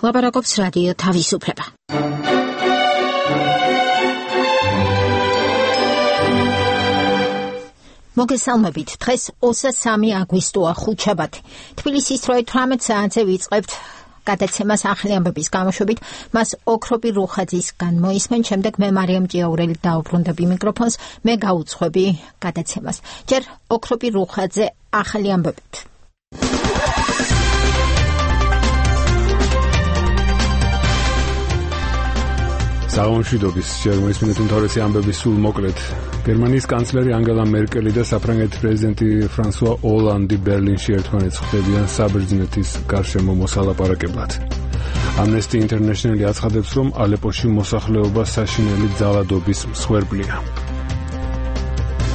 ლაპარაკობს რადიო თავისუფლება. მოგესალმებით, დღეს 23 აგვისტოა, ხუთშაბათი. თბილისის 18 საათზე ვიწყებთ გადაცემას ახალი ამბების გამოშვებით, მას ოქროპი რუხაძისგან მოისმენ, შემდეგ მე მარიამ ჭიაურელი დაუბრუნდები მიკროფონს, მე გაუძღვები გადაცემას. ჯერ ოქროპი რუხაძე ახალი ამბებით. საღამოშვიდობის ჯერ მოისმენთ უმთავრესი ამბების სულ მოკლედ. გერმანიის კანცლერი ანგელა მერკელი და საფრანგეთის პრეზიდენტი ფრანსუა ოლანდი ბერლინში ერთმანეთს ხვდებიან საბერძნეთის გარშემო მოსალაპარაკებლად. Amnesty International აცხადებს, რომ ალეპოში მოსახლეობა საშინელი ძალადობის მსხვერპლია.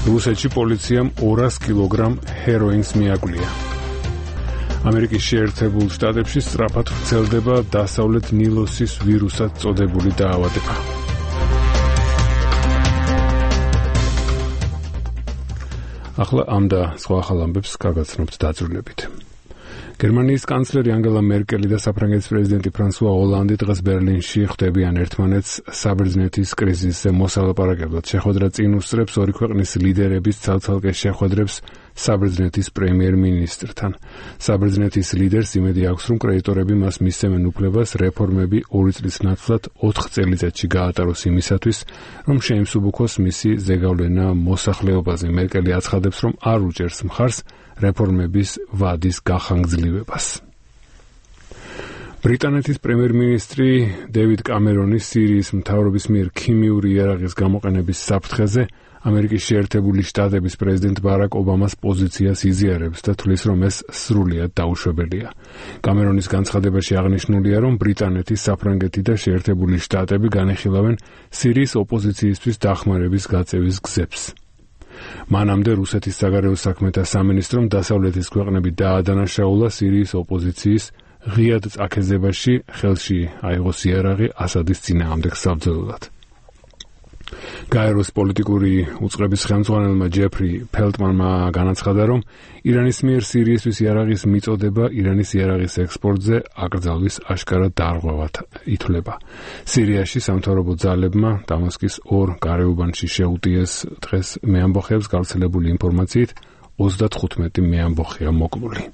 რუსეთში პოლიციამ 200 კილოგრამ ჰეროინს მიაკვლია. ამერიკის შეერთებულ შტატებში სწრაფად ვრცელდება დასავლეთ ნილოსის ვირუსად წოდებული დაავადება. ახლა ამ და სხვა ახალ ამბებს გაგაცნობთ დაწვრილებით. გერმანიის კანცლერი ანგელა მერკელი და საფრანგეთის პრეზიდენტი ფრანსუა ოლანდი დღეს ბერლინში ხვდებიან ერთმანეთს საბერძნეთის კრიზისზე მოსალაპარაკებლად. შეხვედრა წინ უსწრებს ორი ქვეყნის ლიდერების ცალ-ცალკე შეხვედრებს საბერძნეთის პრემიერ-მინისტრთან. საბერძნეთის ლიდერს იმედი აქვს, რომ კრედიტორები მას მისცემენ უფლებას რეფორმები 2 წლის ნაცვლად 4 წელიწადში გაატაროს იმისათვის, რომ შეიმსუბუქოს მისი ზეგავლენა მოსახლეობაზე. მერკელი აცხადებს, რომ არ უჭერს მხარს რეფორმების ვადის გახანგრძლივებას. ბრიტანეთის პრემიერ-მინისტრი დევიდ კამერონი სირიის მთავრობის მიერ ქიმიური იარაღის გამოყენების საფრთხეზე ამერიკის შეერთებული შტატების პრეზიდენტ ბარაკ ობამას პოზიციას იზიარებს და თვლის, რომ ეს სრულიად დაუშვებელია. კამერონის განცხადებაში აღნიშნულია, რომ ბრიტანეთი, საფრანგეთი და შეერთებული შტატები განეხილავენ სირიის ოპოზიციისთვის დახმარების გაწევის გზებს. მანამდე რუსეთის საგარეო საქმეთა სამინისტრომ დასავლეთის ქვეყნები დაადანაშაულა სირიის ოპოზიციის ღიად წაქეზებაში ხელში აიღოს იარაღი ასადის წინააღმდეგ საბრძოლველად. გაეროს პოლიტიკური უწყების ხელმძღვანელმა ჯეფრი ფელტმანმა განაცხადა, რომ ირანის მიერ სირიისთვის იარაღის მიწოდება ირანის იარაღის ექსპორტზე აკრძალვის აშკარა დარღვევად ითვლება. სირიაში სამთავრობო ძალებმა დამასკის 2 გარეუბანში შეუტიეს დღეს მეამბოხეებს გავრცელებული ინფორმაციით 35 მეამბოხეა მოკლული.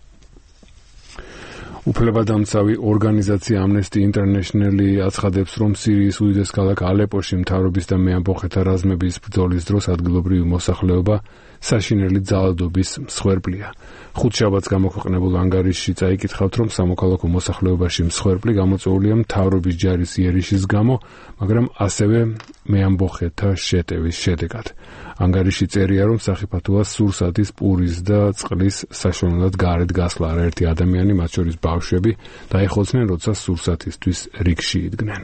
უფლებადამცავი ორგანიზაცია Amnesty International აცხადებს, რომ სირიის უდიდეს ქალაქ ალეპოში მთავრობის და მეამბოხეთა რაზმების ბრძოლის დროს ადგილობრივი მოსახლეობა საშინელი ძალადობის მსხვერპლია. ხუთშაბათს გამოქვეყნებულ ანგარიშში წაიკითხავთ, რომ სამოქალაქო მოსახლეობაში მსხვერპლი გამოწვეულია მთავრობის ჯარის იერიშის გამო, მაგრამ ასევე მეამბოხეთა შეტევის შედეგად. ანგარიში წერია, რომ სახიფათოა სურსათის, პურის და წყლის საშუალებლად გარეთ გასვლა. არაერთი ადამიანი, მათ შორის ბავშვები, დაიხოცნენ, როცა სურსათისთვის რიგში იდგნენ.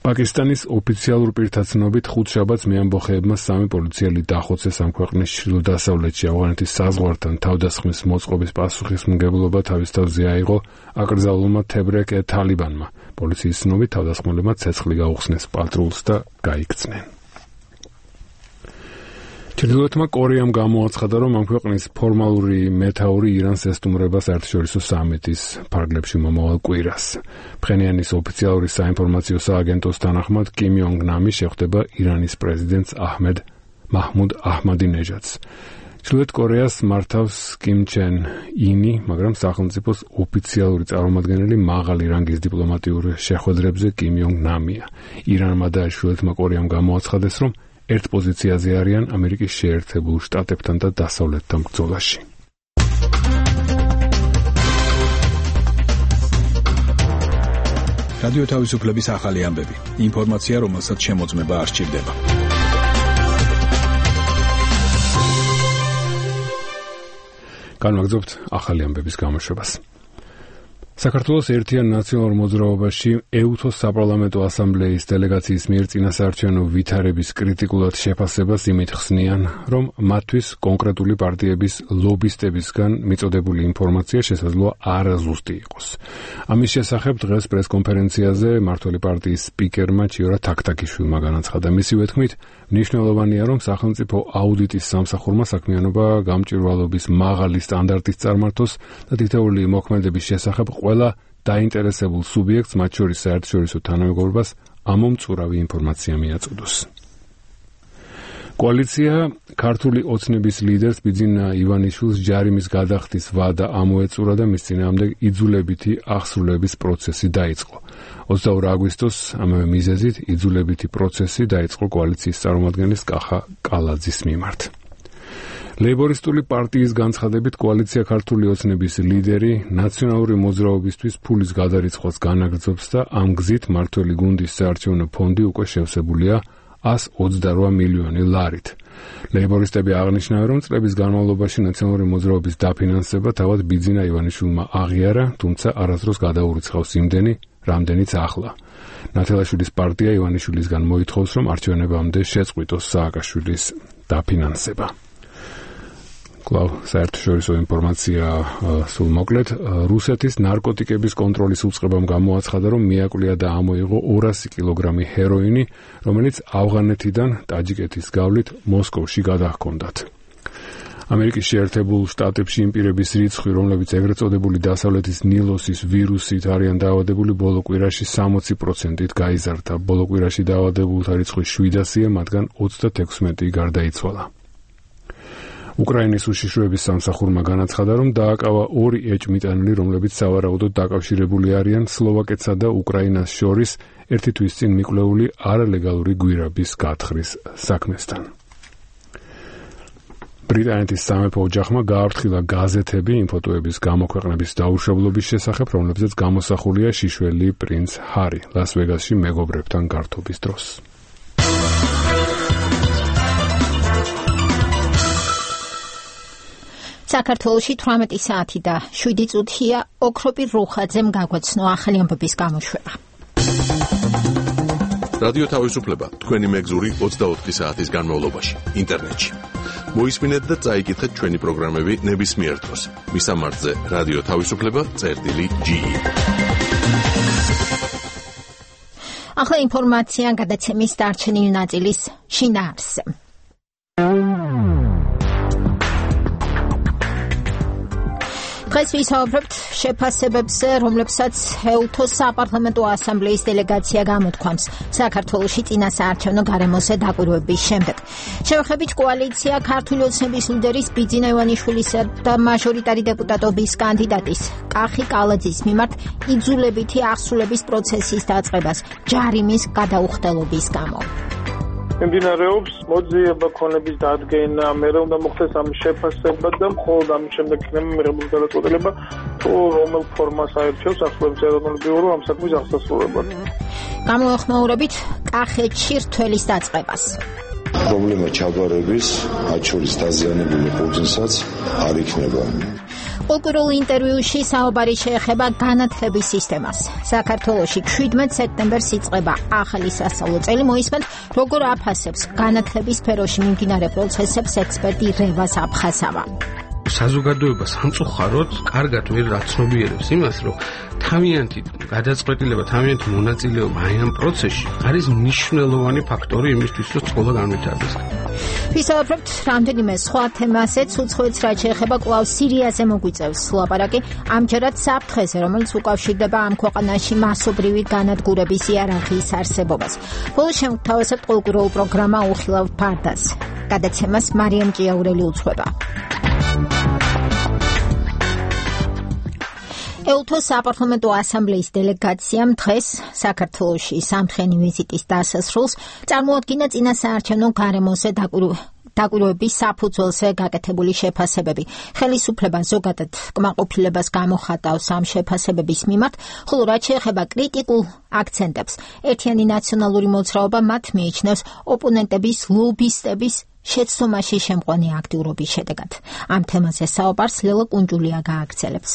პაკისტანის ოფიციალურ პირთაცნობით ხუთშაბათს მეამბოხეებმა 3 პოლიციელი დახოცეს ამ ქვეყნის ჩრდილო-დასავლეთში. ავღანეთის საზღვართან თავდასხმის მოწყობის პასუხისმგებლობა თავის თავზე აიღო აკრძალულმა თებრეკ თალიბანმა. პოლიციის ცნობით თავდასხმელებმა ცეცხლი გაუხსნეს პატრულს და გაიქცნენ. ჩრდილოეთმა კორეამ გამოაცხადა, რომ ამ ქვეყნის ფორმალური მეთაური ირანს ესტუმრება საერთაშორისო სამიტის ფარგლებში მომავალ კვირას. ფხენიანის ოფიციალური საინფორმაციო სააგენტოს თანახმად, კიმ იონგ ნამი შეხვდება ირანის პრეზიდენტს მაჰმუდ აჰმადინეჟადს. ჩრდილოეთ კორეას მართავს კიმ ჩენ ინი, მაგრამ სახელმწიფოს ოფიციალური წარმომადგენელი მაღალი რანგის დიპლომატიურ შეხვედრებზე კიმ იონგ ნამია. ირანმა და ჩრდილოეთმა კორეამ გამოაცხადეს, რომ ერთ პოზიციაზე არიან ამერიკის შეერთებულ შტატებთან და დასავლეთთან ბრძოლაში. რადიო თავისუფლების ახალი ამბები. ინფორმაცია, რომელსაც შემოწმება არ სჭირდება. განვაგრძობთ ახალი ამბების გამოშვებას. საქართველოს ერთიან ნაციონალურ მოძრაობაში ეუთოს საპარლამენტო ასამბლეის დელეგაციის მიერ წინასაარჩევნო ვითარების კრიტიკულად შეფასებას იმით ხსნიან, რომ მათთვის კონკრეტული პარტიების ლობისტებისგან მიწოდებული ინფორმაცია შესაძლოა არაზუსტი იყოს. ამის შესახებ დღეს პრესკონფერენციაზე მმართველი პარტიის სპიკერმა ჭიორა თაქთაქიშვილმა განაცხადა. მისივე თქმით, მნიშვნელოვანია, რომ სახელმწიფო აუდიტის სამსახურმა საქმიანობა გამჭვირვალობის მაღალი სტანდარტის წარმართოს და თითოეული მოქმედების შესახებ ყველა დაინტერესებულ სუბიექტს, მათ შორის საერთაშორისო თანამეგობრობას, ამომწურავი ინფორმაცია მიაწოდოს. კოალიცია ქართული ოცნების ლიდერს ბიძინა ივანიშვილს ჯარიმის გადახდის ვადა ამოეწურა და მის წინააღმდეგ იძულებითი აღსრულების პროცესი დაიწყო. 22 აგვისტოს ამავე მიზეზით იძულებითი პროცესი დაიწყო კოალიციის წარმომადგენლის კახა კალაძის მიმართ. ლეიბორისტული პარტიის განცხადებით კოალიცია ქართული ოცნების ლიდერი ნაციონალური მოძრაობისთვის ფულის გადარიცხვას განაგრძობს და ამ გზით მართველი გუნდის საარჩევნო ფონდი უკვე შევსებულია 128 მილიონი ლარით. ლეიბორისტები აღნიშნავენ, რომ წლების განმავლობაში ნაციონალური მოძრაობის დაფინანსება თავად ბიძინა ივანიშვილმა აღიარა, თუმცა არასდროს გადაურიცხავს იმდენი, რამდენიც ახლა. ნათელაშვილის პარტია ივანიშვილისგან მოითხოვს, რომ არჩევნებამდე შეწყვიტოს სააკაშვილის დაფინანსება. კлау საერთაშორისო ინფორმაცია სულ მოკლედ რუსეთის ნარკოტიკების კონტროლის უწყებამ გამოაცხადა, რომ მიაკვლია და ამოიღო 200 კილოგრამი ჰეროინი, რომელიც ავღანეთიდან ტაჯიკეთის გავლით მოსკოვში გადაჰქონდათ. ამერიკის შეერთებულ შტატებში იმ პირების რიცხვი, რომლებიც ეგრეთ წოდებული დასავლეთის ნილოსის ვირუსით არიან დაავადებული, ბოლო კვირაში 60%-ით გაიზარდა. ბოლო კვირაში დაავადებულთა რიცხვი 700-ია, მათგან 36 გარდაიცვალა. უკრაინის უშიშროების სამსახურმა განაცხადა, რომ დააკავა 2 ეჭვმიტანილი, რომლებიც სავარაუდოდ დაკავშირებული არიან სლოვაკეთსა და უკრაინას შორის ერთი თვის წინ მიკვლეული არალეგალური გვირაბის გათხრის საქმესთან. ბრიტანეთის სამეფო ოჯახმა გააფრთხილა გაზეთები ინფოტოების გამოქვეყნების დაუშავლობის შესახებ, რომლებზეც გამოსახულია შიშველი პრინც ჰარი ლას-ვეგასში მეგობრებთან გართობის დროს. საქართველოში 18 საათი და 7 წუთია ოქროპირ რუხაძემ გაგვაცნო ახალი ამბების გამოშვება. რადიო თავისუფლება თქვენი მეგზური 24 საათის განმავლობაში ინტერნეტში. მოისმინეთ და წაიკითხეთ ჩვენი პროგრამები ნებისმიერ დროს. მისამართზე რადიო თავისუფლება.ge. ახლა ინფორმაცია გადაცემის დარჩენილი ნაწილის შინაარსზე. დღეს ვისაუბრებთ შეფასებებზე, რომლებსაც ეუთოს საპარლამენტო ასამბლეის დელეგაცია გამოთქვამს საქართველოში წინასაარჩევნო გარემოზე დაკვირვების შემდეგ. შევხედებით კოალიცია ქართული ოცნების ლიდერის ბიძინა ივანიშვილისა და მაჟორიტარი დეპუტატობის კანდიდატის კახი კალაძის მიმართ იძულებითი აღსრულების პროცესის დაწყებას ჯარიმის გადაუხდელობის გამო. მიმდინარეობს მოძიება ქონების დადგენა, მერე უნდა მოხდეს ამ შეფასება და მხოლოდ ამის შემდეგ იქნება მიღებული გადაწყვეტილება, თუ რომელ ფორმას აერჩევს ახალგაზრდა ეროვნული ბიურო ამ საქმის აღსასრულებლად. გამოეხმაურებით კახეთში რთველის დაწყებას. პრობლემა ჩაგვარების, მათ შორის დაზიანებული ყურძნსაც არ იქნება. კულტურულ ინტერვიუში საუბარი შეეხება განათლების სისტემას. საქართველოში 17 სექტემბერს იწყება ახალი სასწავლო წელი. მოისმენთ, როგორ აფასებს განათლების სფეროში მიმდინარე პროცესებს ექსპერტი რევას აფხაზავა. საზოგადოება სამწუხაროდ კარგად ვერ რაცნობიერებს იმას, რომ თავიანთი გადაწყვეტილება, თავიანთი მონაწილეობა აი ამ პროცესში არის მნიშვნელოვანი ფაქტორი იმისთვის, რომ სკოლა განვითარდეს. ვისაუბრებთ რამდენიმე სხვა თემაზეც, უცხოეთს რაც შეეხება კვლავ სირიაზე მოგვიწევს ლაპარაკი, ამჯერად საფრთხეზე, რომელიც უკავშირდება ამ ქვეყანაში მასობრივი განადგურების იარაღიის არსებობას. ბოლოს შევთავაზებთ კულტურულ პროგრამა უხილავ ფარდას. გადაცემას მარიამ ჭიაურელი უძღვება. ეუთოს საპარლამენტო ასამბლეის დელეგაციამ დღეს საქართველოში სამთხენი ვიზიტის დასასრულს წარმოადგინა წინასაარჩევნო გარემოზე დაკვირვების საფუძველზე გაკეთებული შეფასებები. ხელისუფლება ზოგადად კმაყოფილებას გამოხატავს ამ შეფასებების მიმართ, ხოლო რაც შეეხება კრიტიკულ აქცენტებს, ერთიანი ნაციონალური მოძრაობა მათ მიიჩნევს ოპონენტების ლობისტების შეცდომაში შემყვანი აქტიურობის შედეგად. ამ თემაზე საუბარს ლელა კუნჯულია გააგრძელებს.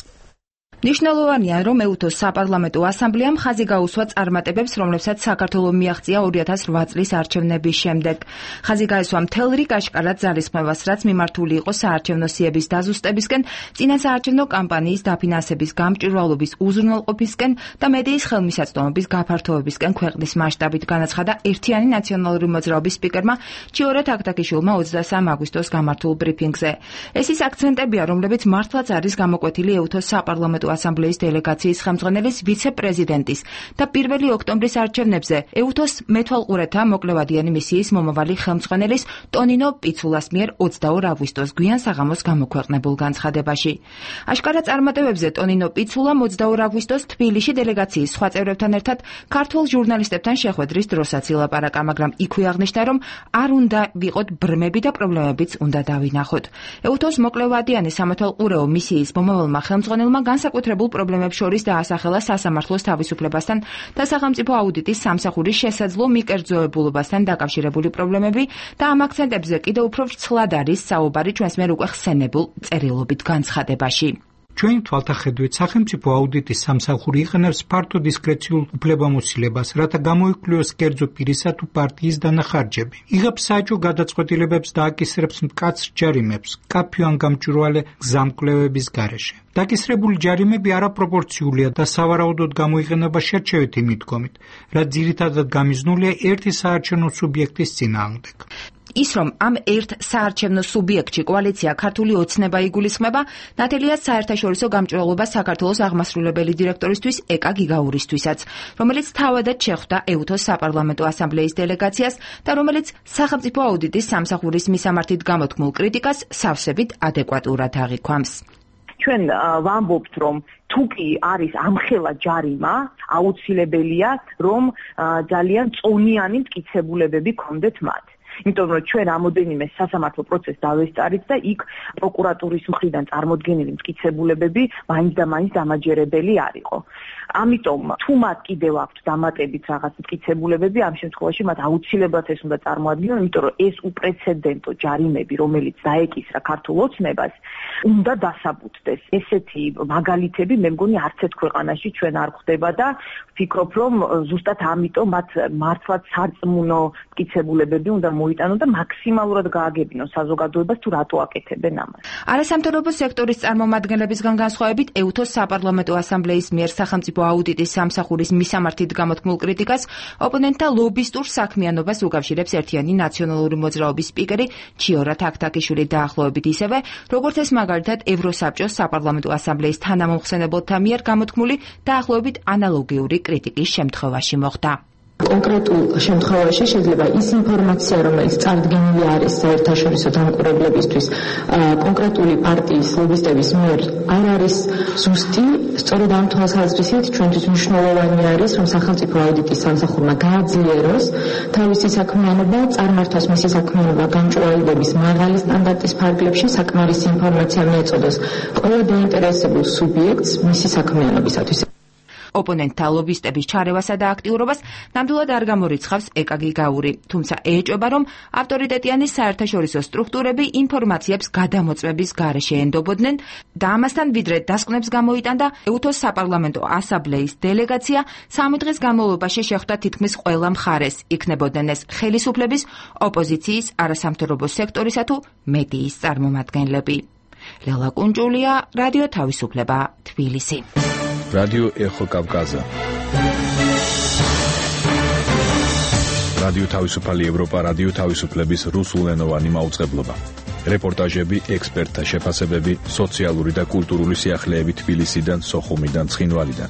ნიშნულოვანია, რომ ეუთოს საპარლამენტო ასამბლეამ ხაზი გაუსვა წარმატებებს, რომლებსაც საქართველო მიაღწია 2008 წლის არჩევნების შემდეგ. ხაზი გაესვა მთელ რიგ აშკარად ძალისხმევას, რაც მიმართული იყო საარჩევნო სიების დაზუსტებისკენ, წინასაარჩევნო კამპანიის დაფინანსების გამჭვირვალობის უზრუნველყოფისკენ და მედიის ხელმისაწვდომობის გაფართოებისკენ ქვეყნის მასშტაბით, განაცხადა ერთიანი ნაციონალური მოძრაობის სპიკერმა ჩიორე თაქთაქიშვილმა 23 აგვისტოს გამართულ ბრიფინგზე. ეს ის აქცენტებია, რომლებიც მართლაც არის გამოკვეთილი ეუთოს საპარლამენტო ასამბლეის დელეგაციის ხელმძღვანელის ვიცე-პრეზიდენტის და 1 ოქტომბრის არჩევნებზე ეუთოს მეთვალყურეთა მოკლევადიანი მისიის მომავალი ხელმძღვანელის ტონინო პიცულას მიერ 22 აგვისტოს გვიან საღამოს გამოქვეყნებულ განცხადებაში. აშკარა წარმატებებზე ტონინო პიცულამ 22 აგვისტოს თბილისში დელეგაციის სხვა წევრებთან ერთად ქართულ ჟურნალისტებთან შეხვედრის დროსაც ილაპარაკა, მაგრამ იქვე აღნიშნა, რომ არ უნდა ვიყოთ ბრმები და პრობლემებიც უნდა დავინახოთ. ეუთოს მოკლევადიანი სამეთვალყურეო მისიის მომავალმა ხელმძღვანელმა განსაკუთრებულ პრობლემებს შორის დაასახელა სასამართლოს თავისუფლებასთან და სახელმწიფო აუდიტის სამსახურის შესაძლო მიკერძოებულობასთან დაკავშირებული პრობლემები და ამ აქცენტებზე კიდევ უფრო ვრცლად არის საუბარი ჩვენს მიერ უკვე ხსენებულ წერილობით განცხადებაში. ჩვენი თვალთახედვით სახელმწიფო აუდიტის სამსახური იყენებს ფართო დისკრეციულ უფლებამოსილებას, რათა გამოიკვლიოს კერძო პირისა თუ პარტიის დანახარჯები. იღებს საეჭვო გადაწყვეტილებებს და აკისრებს მკაცრ ჯარიმებს, კაფე ან გამჭვირვალე გზამკვლევების გარეშე. დაკისრებული ჯარიმები არაპროპორციულია და სავარაუდოდ გამოიყენება შერჩევითი მიდგომით, რაც ძირითადად გამიზნულია ერთი საარჩევნო სუბიექტის წინააღმდეგ. ის, რომ ამ ერთ საარჩევნო სუბიექტში კოალიცია ქართული ოცნება იგულისხმება, ნათელია საერთაშორისო გამჭვირვალობა საქართველოს აღმასრულებელი დირექტორისთვის ეკა გიგაურისთვისაც, რომელიც თავადად შეხვდა ეუთოს საპარლამენტო ასამბლეის დელეგაციას და რომელიც სახელმწიფო აუდიტის სამსახურის მისამართით გამოთქმულ კრიტიკას სავსებით ადეკვატურად აღიქვამს. ჩვენ ვამბობთ, რომ თუ კი არის ამხელა ჯარიმა, აუცილებელია, რომ ძალიან წონიანი მტკიცებულებები გქონდეთ მათ. იმიტომ რომ ჩვენ რამოდენიმე სასამართლო პროცესს დავესწარით და იქ პროკურატურის მხრიდან წარმოდგენილი მტკიცებულებები მაინც და მაინც დამაჯერებელი არ იყო. ამიტომ თუ მათ კიდევ აქვთ დამატებით რაღაც მტკიცებულებები, ამ შემთხვევაში მათ აუცილებლად ეს უნდა წარმოადგინონ, იმიტომ რომ ეს უპრეცედენტო ჯარიმები, რომელიც დაეკისრა ქართულ ოცნებას, უნდა დასაბუთდეს. ესეთი მაგალითები მე მგონი არც ერთ ქვეყანაში ჩვენ არ გვხდება და ვფიქრობ, რომ ზუსტად ამიტომ მათ მართლაც სარწმუნო მტკიცებულებები უნდა მოიტანონ და მაქსიმალურად გააგებინონ საზოგადოებას თუ რატო აკეთებენ ამას. არასამთავრობო სექტორის წარმომადგენლებისგან განსხვავებით ეუთოს საპარლამენტო ასამბლეის მიერ სახელმწიფო აუდიტის სამსახურის მისამართით გამოთქმულ კრიტიკას ოპონენტთა ლობისტურ საქმიანობას უკავშირებს ერთიანი ნაციონალური მოძრაობის სპიკერი ჩიორა თაქთაქიშვილი დაახლოებით ისევე, როგორც ეს მაგალითად ევროსაბჭოს საპარლამენტო ასამბლეის თანამომხსენებელთა მიერ გამოთქმული დაახლოებით ანალოგიური კრიტიკის შემთხვევაში მოხდა. კონკრეტულ შემთხვევაში შეიძლება ის ინფორმაცია, რომელიც წარდგენილი არის საერთაშორისო დამკვირვებლებისთვის კონკრეტული პარტიის ლობისტების მიერ არ არის ზუსტი, სწორედ ამ თვალსაზრისით ჩვენთვის მნიშვნელოვანი არის, რომ სახელმწიფო აუდიტის სამსახურმა გააძლიეროს თავისი საქმიანობა, წარმართოს მისი საქმიანობა გამჭვირვალეობის მაღალი სტანდარტის ფარგლებში, საკმარისი ინფორმაცია მიეწოდოს ყველა დაინტერესებულ სუბიექტს მისი საქმიანობისათვის. ოპონენტთა ლობისტების ჩარევასა და აქტიურობას ნამდვილად არ გამორიცხავს ეკა გიგაური, თუმცა ეჭვება, რომ ავტორიტეტიანი საერთაშორისო სტრუქტურები ინფორმაციებს გადამოწმების გარეშე ენდობოდნენ და ამასთან ვიდრე დასკვნებს გამოიტანდა ეუთოს საპარლამენტო ასამბლეის დელეგაცია 3 დღის განმავლობაში შეხვდა თითქმის ყველა მხარეს, იქნებოდნენ ეს ხელისუფლების, ოპოზიციის, არასამთავრობო სექტორისა თუ მედიის წარმომადგენლები. ლელა კუნჭულია, რადიო თავისუფლება, თბილისი. რადიო ეხო კავკაზა. რადიო თავისუფალი ევროპა, რადიო თავისუფლების რუსულენოვანი მაუწყებლობა. რეპორტაჟები, ექსპერტთა შეფასებები, სოციალური და კულტურული სიახლეები თბილისიდან, სოხუმიდან, ცხინვალიდან.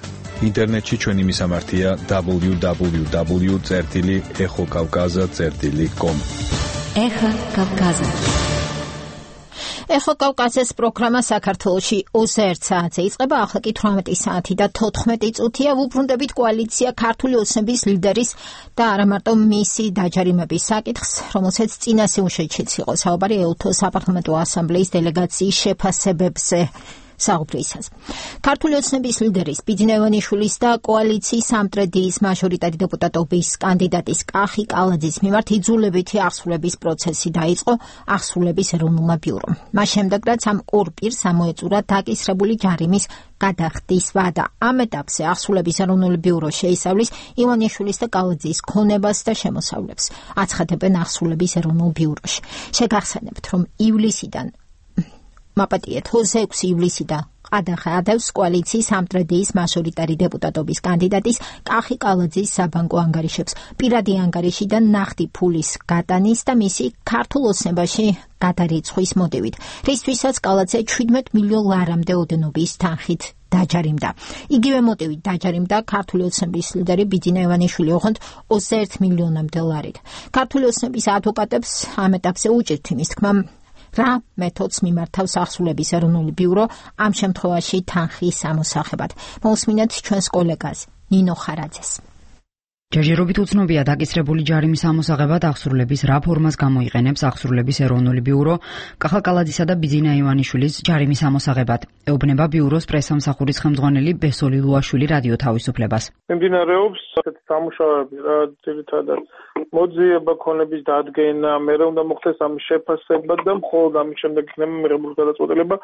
ინტერნეტში ჩვენი მისამართია www.ეხოკავკაზა.com. ეხო კავკაზა. ეხო კავკაზის პროგრამა საქართველოში 21 საათზე იწყება, ახლა კი 18 საათი და 14 წუთია. ვუბრუნდებით კოალიცია ქართული ოცნების ლიდერის და არა მარტო მისი დაჯარიმების საკითხს, რომელსაც წინა სიუჟეტშიც იყო საუბარი ეუთოს საპარლამენტო ასამბლეის დელეგაციის შეფასებებზე. საუბრისას. ქართული ოცნების ლიდერის ბიძინა ივანიშვილის და კოალიციის სამტრედიის მაჟორიტარი დეპუტატობის კანდიდატის კახი კალაძის მიმართ იძულებითი აღსრულების პროცესი დაიწყო აღსრულების ეროვნულმა ბიურომ. მას შემდეგ, რაც ამ ორ პირს ამოეწურა დაკისრებული ჯარიმის გადახდის ვადა. ამ ეტაპზე აღსრულების ეროვნული ბიურო შეისწავლის ივანიშვილის და კალაძის ქონებას და შემოსავლებს. აცხადებენ აღსრულების ეროვნულ ბიუროში. შეგახსენებთ, რომ ივლისიდან მაპატიეთ 26 ივლისიდან ყადახადავს კოალიციის სამტრედიის მაჟორიტარი დეპუტატობის კანდიდატის კახი კალაძის საბანკო ანგარიშებს პირადი ანგარიშიდან ნახტი ფულის გატანის და მისი ქართულ ოცნებაში გადარიცხვის მოტივით, რისთვისაც კალაძე 17 მილიონ ლარამდე ოდენობის თანხით დაჯარიმდა. იგივე მოტივით დაჯარიმდა ქართული ოცნების ლიდერი ბიძინა ივანიშვილი ოღონდ 21 მილიონამდე ლარით. ქართული ოცნების ადვოკატებს ამ ეტაპზე უჭირთ იმის თქმა, რა მეთოდს მიმართავს ახსრულების ეროვნული ბიურო ამ შემთხვევაში თანხის ამოსახებად. მოусმინეთ ჩვენს კოლეგას ნინო ხარაძეს. ჯერჯერობით უცნობია დაკისრებული ჯარიმის ამოსაღებად ახსრულების რა ფორმას გამოიყენებს ახსრულების ეროვნული ბიურო კახა კალაძისა და ბიძინა ივანიშვილის ჯარიმის ამოსაღებად. ეუბნება ბიუროს პრესამსახურის ხელმძღვანელი ბესოლი ლუაშვილი რადიო თავისუფლებას. მიმდინარეობს ასეთი სამუშაოები, რა ძირითადად მოძიება ქონების დადგენა, მერე უნდა მოხდეს ამის შეფასება და მხოლოდ ამის შემდეგ იქნება მიღებული გადაწყვეტილება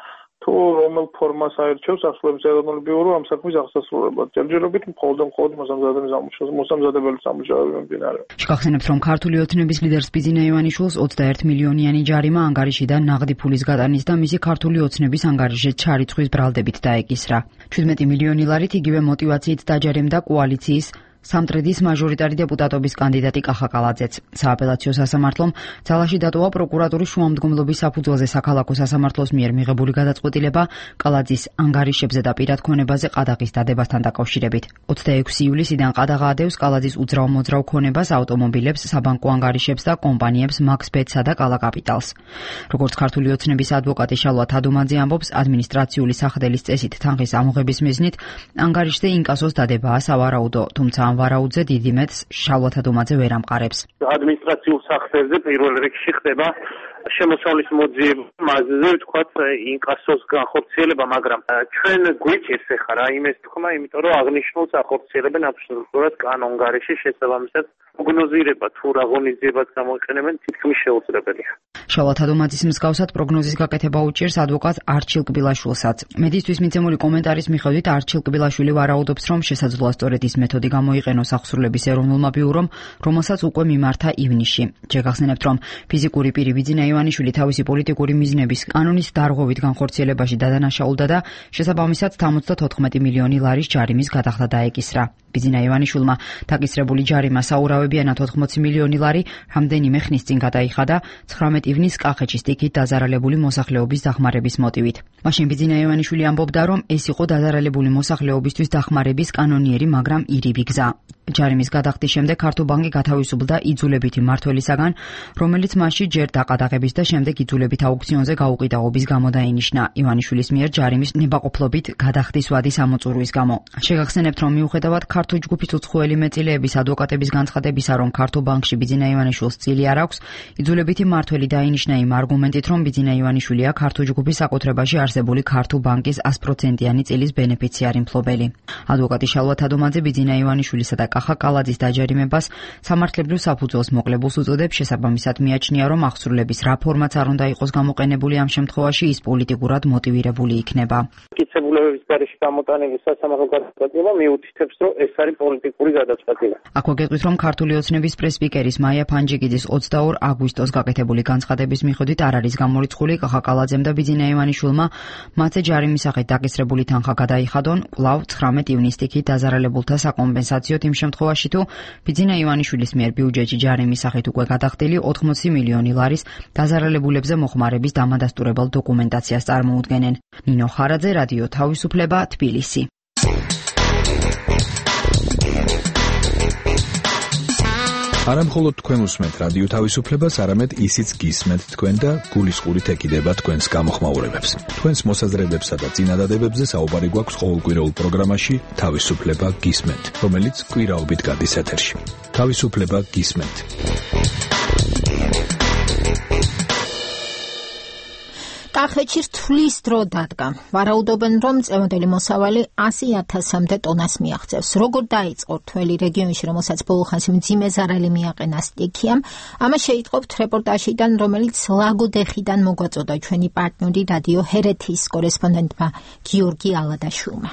თუ რომელ ფორმას აირჩევს ახსრულების ეროვნული ბიურო ამ საქმის აღსასრულებლად. ჯერჯერობით მხოლოდ მოსამზადებელი სამუშაოები მიმდინარეობს. შეგახსენებთ, რომ ქართული ოცნების ლიდერს ბიძინა ივანიშვილს 21 მილიონიანი ჯარიმა ანგარიშიდან ნაღდი ფულის გატანის და მისი ქართული ოცნების ანგარიშის ჩარიცხვის ბრალდებით დაეკისრა. 17 მილიონი ლარით იგივე მოტივაციით დაჯერემდა კოალიციის სამტრედიის მაჟორიტარი დეპუტატობის კანდიდატი კახა კალაძეც. სააპელაციო სასამართლომ ძალაში დატოვა პროკურატურის შუამდგომლობის საფუძველზე საქალაქო სასამართლოს მიერ მიღებული გადაწყვეტილება კალაძის ანგარიშებზე და პირად ქონებაზე ყადაღის დადებასთან დაკავშირებით. 26 ივლისიდან ყადაღა ადევს კალაძის უძრავ-მოძრავ ქონებას, ავტომობილებს, საბანკო ანგარიშებს და კომპანიებს მაქსბეტსა და კალა კაპიტალს. როგორც ქართული ოცნების ადვოკატი შალვა თადუმაძე ამბობს, ადმინისტრაციული სახდელის წესით თანხის ამოღების მიზნით ანგარიშზე ინკასოს დადებაა სავარაუდო, თუმცა ვარაუდზე დიდი მეტს შალვა თადუმაძე ვერ ამყარებს. ადმინისტრაციულ სახსრებზე პირველ რიგში ხდება შემოსავლის მოძიება, მასზე ვთქვათ ინკასოს განხორციელება, მაგრამ ჩვენ გვიჭირს ახლა რა იმის თქმა, იმიტომ რომ აღნიშნულს ახორციელებენ აბსოლუტურად კანონგარეშე შესაბამისად პროგნოზირება თუ რა ღონისძიებას გამოიყენებენ თითქმის შეუძლებელია. შალვა თადუმაძის მსგავსად პროგნოზის გაკეთება უჭირს ადვოკატ არჩილ კბილაშვილსაც. მედისთვის მიცემული კომენტარის მიხედვით არჩილ კბილაშვილი ვარაუდობს, რომ შესაძლოა სწორედ ის მეთოდი გამოიყენოს ახსრულების ეროვნულმა ბიურომ, რომელსაც უკვე მიმართა ივნისში. შეგახსენებთ, რომ ფიზიკური პირი ბიძინა ივანიშვილი თავისი პოლიტიკური მიზნების კანონის დარღვევით განხორციელებაში დადანაშაულდა და შესაბამისად 74 მილიონი ლარის ჯარიმის გადახდა დაეკისრა. ბიძინა ივანიშვილმა დაკისრებული ჯარიმა საურავებიანად 80 მილიონი ლარი რამდენიმე ხნის წინ გადაიხადა 19 ივნის კახეთში სტიქით დაზარალებული მოსახლეობის დახმარების მოტივით. მაშინ ბიძინა ივანიშვილი ამბობდა, რომ ეს იყო დაზარალებული მოსახლეობისთვის დახმარების კანონიერი, მაგრამ ირიბი გზა. ჯარიმის გადახდის შემდეგ ქართობანკი გათავისუფლდა იძულებითი მმართველისაგან, რომელიც მასში ჯერ დაყადაღების და შემდეგ იძულებით აუქციონზე გაუყიდაღობის გამო დაინიშნა. ივანიშვილის მიერ ჯარიმის ნებაყოფლობით გადახდის ვადის ამოწურვის გამო. შეგახსენებთ, რომ მიუხედავად ქართული ჯგუფის უცხოელი მეტილეების ადვოკატების განცხადებისა, რომ ქართობანკში ბიძინა ივანიშვილს წილი არ აქვს, იძულებითი მმართველი დაინიშნა იმ არგუმენტით, რომ ბიძინა ივანიშვილია ქართული ჯგუფის საკუთრებაში არსებული ქართობანკის 100%-იანი წილის ბენეფიციარი მფლობელი. ადვოკატი შალვა თადუმაძე ბიძინა ივანიშვილისა და კახა კალაძის დაჯერიმებას სამართლებრივ საფუძველს მოკლებულს უწოდებს, შესაბამისად მიაჩნია, რომ ახსრულების რა ფორმაც არ უნდა იყოს გამოყენებული ამ შემთხვევაში, ის პოლიტიკურად მოტივირებული იქნება. მტკიცებულებების გარეშე გამოტანილი სასამართლო გადაწყვეტილება მიუთითებს, რომ ეს არის პოლიტიკური გადაწყვეტილება. აქვე გეტყვით, რომ ქართული ოცნების პრესპიკერის მაია ფანჯიგიძის 22 აგვისტოს გაკეთებული განცხადების მიხედვით არ არის გამორიცხული კახა კალაძემ და ბიძინა ივანიშვილმა მათზე ჯარიმის სახით დაკისრებული თანხა გადაიხადონ კვლავ 19 ივნის სტიქით დაზარალებულთა საკომპენსაციოდ იმ შემთხვევაში თუ ბიძინა ივანიშვილის მიერ ბიუჯეტში ჯარიმის სახით უკვე გადახდილი 80 მილიონი ლარის დაზარალებულებზე მოხმარების დამადასტურებელ დოკუმენტაციას წარმოუდგენენ. ნინო ხარაძე, რადიო თავისუფლება, თბილისი. არა მხოლოდ თქვენ უსმენთ რადიო თავისუფლებას, არამედ ისიც გისმენთ თქვენ და გულისყურით ეკიდება თქვენს გამოხმაურებებს. თქვენს მოსაზრებებსა და წინადადებებზე საუბარი გვაქვს ყოველკვირეულ პროგრამაში თავისუფლება გისმენთ, რომელიც კვირაობით გადის ეთერში. თავისუფლება გისმენთ. კახეთში რთulis დრო დადგა. ვარაუდობენ, რომ წევანდელი მოსავალი 100,000-მდე ტონას მიაღწევს. როგორ დაიწყო რთველი რეგიონში, რომელსაც ბოლო ხანს მძიმე ზარალი მიაყენა სტიქიამ, ამას შეიტყობთ რეპორტაჟიდან, რომელიც ლაგოდეხიდან მოგვაწოდა ჩვენი პარტნიორი რადიო ჰერეთის კორესპონდენტმა გიორგი ალადაშვილმა.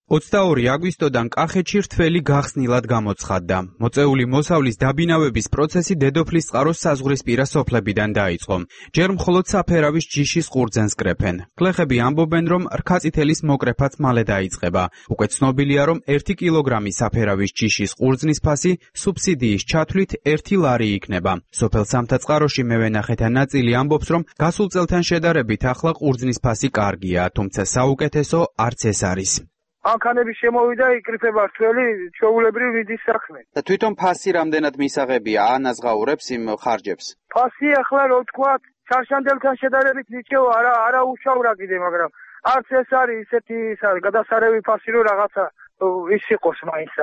22 აგვისტოდან კახეთში რთველი გახსნილად გამოცხადდა. მოწეული მოსავლის დაბინავების პროცესი დედოფლის წყაროს საზღვრისპირა სოფლებიდან დაიწყო. ჯერ მხოლოდ საფერავის ჯიშის ყურძენს კრეფენ. გლეხები ამბობენ, რომ რქაწითელის მოკრეფაც მალე დაიწყება. უკვე ცნობილია, რომ 1 კილოგრამი საფერავის ჯიშის ყურძნის ფასი სუბსიდიის ჩათვლით 1 ლარი იქნება. სოფელ სამთაწყაროში მევენახეთა ნაწილი ამბობს, რომ გასულ წელთან შედარებით ახლა ყურძნის ფასი კარგია, თუმცა საუკეთესო არც ეს არის. ანქანები შემოვიდა, იკრიფება რთველი ჩვეულებრივ ვიდის საქმე. და თვითონ ფასი რამდენად მისაღებია, ანაზღაურებს იმ ხარჯებს? ფასი ახლა რო თქვა, ჩარშანდელთან შედარებით ნიჭიო არა უშავრა კიდე, მაგრამ არც ეს არის ისეთი გადასარევი ფასი, რომ რაღაცა ის იყოს მაინც.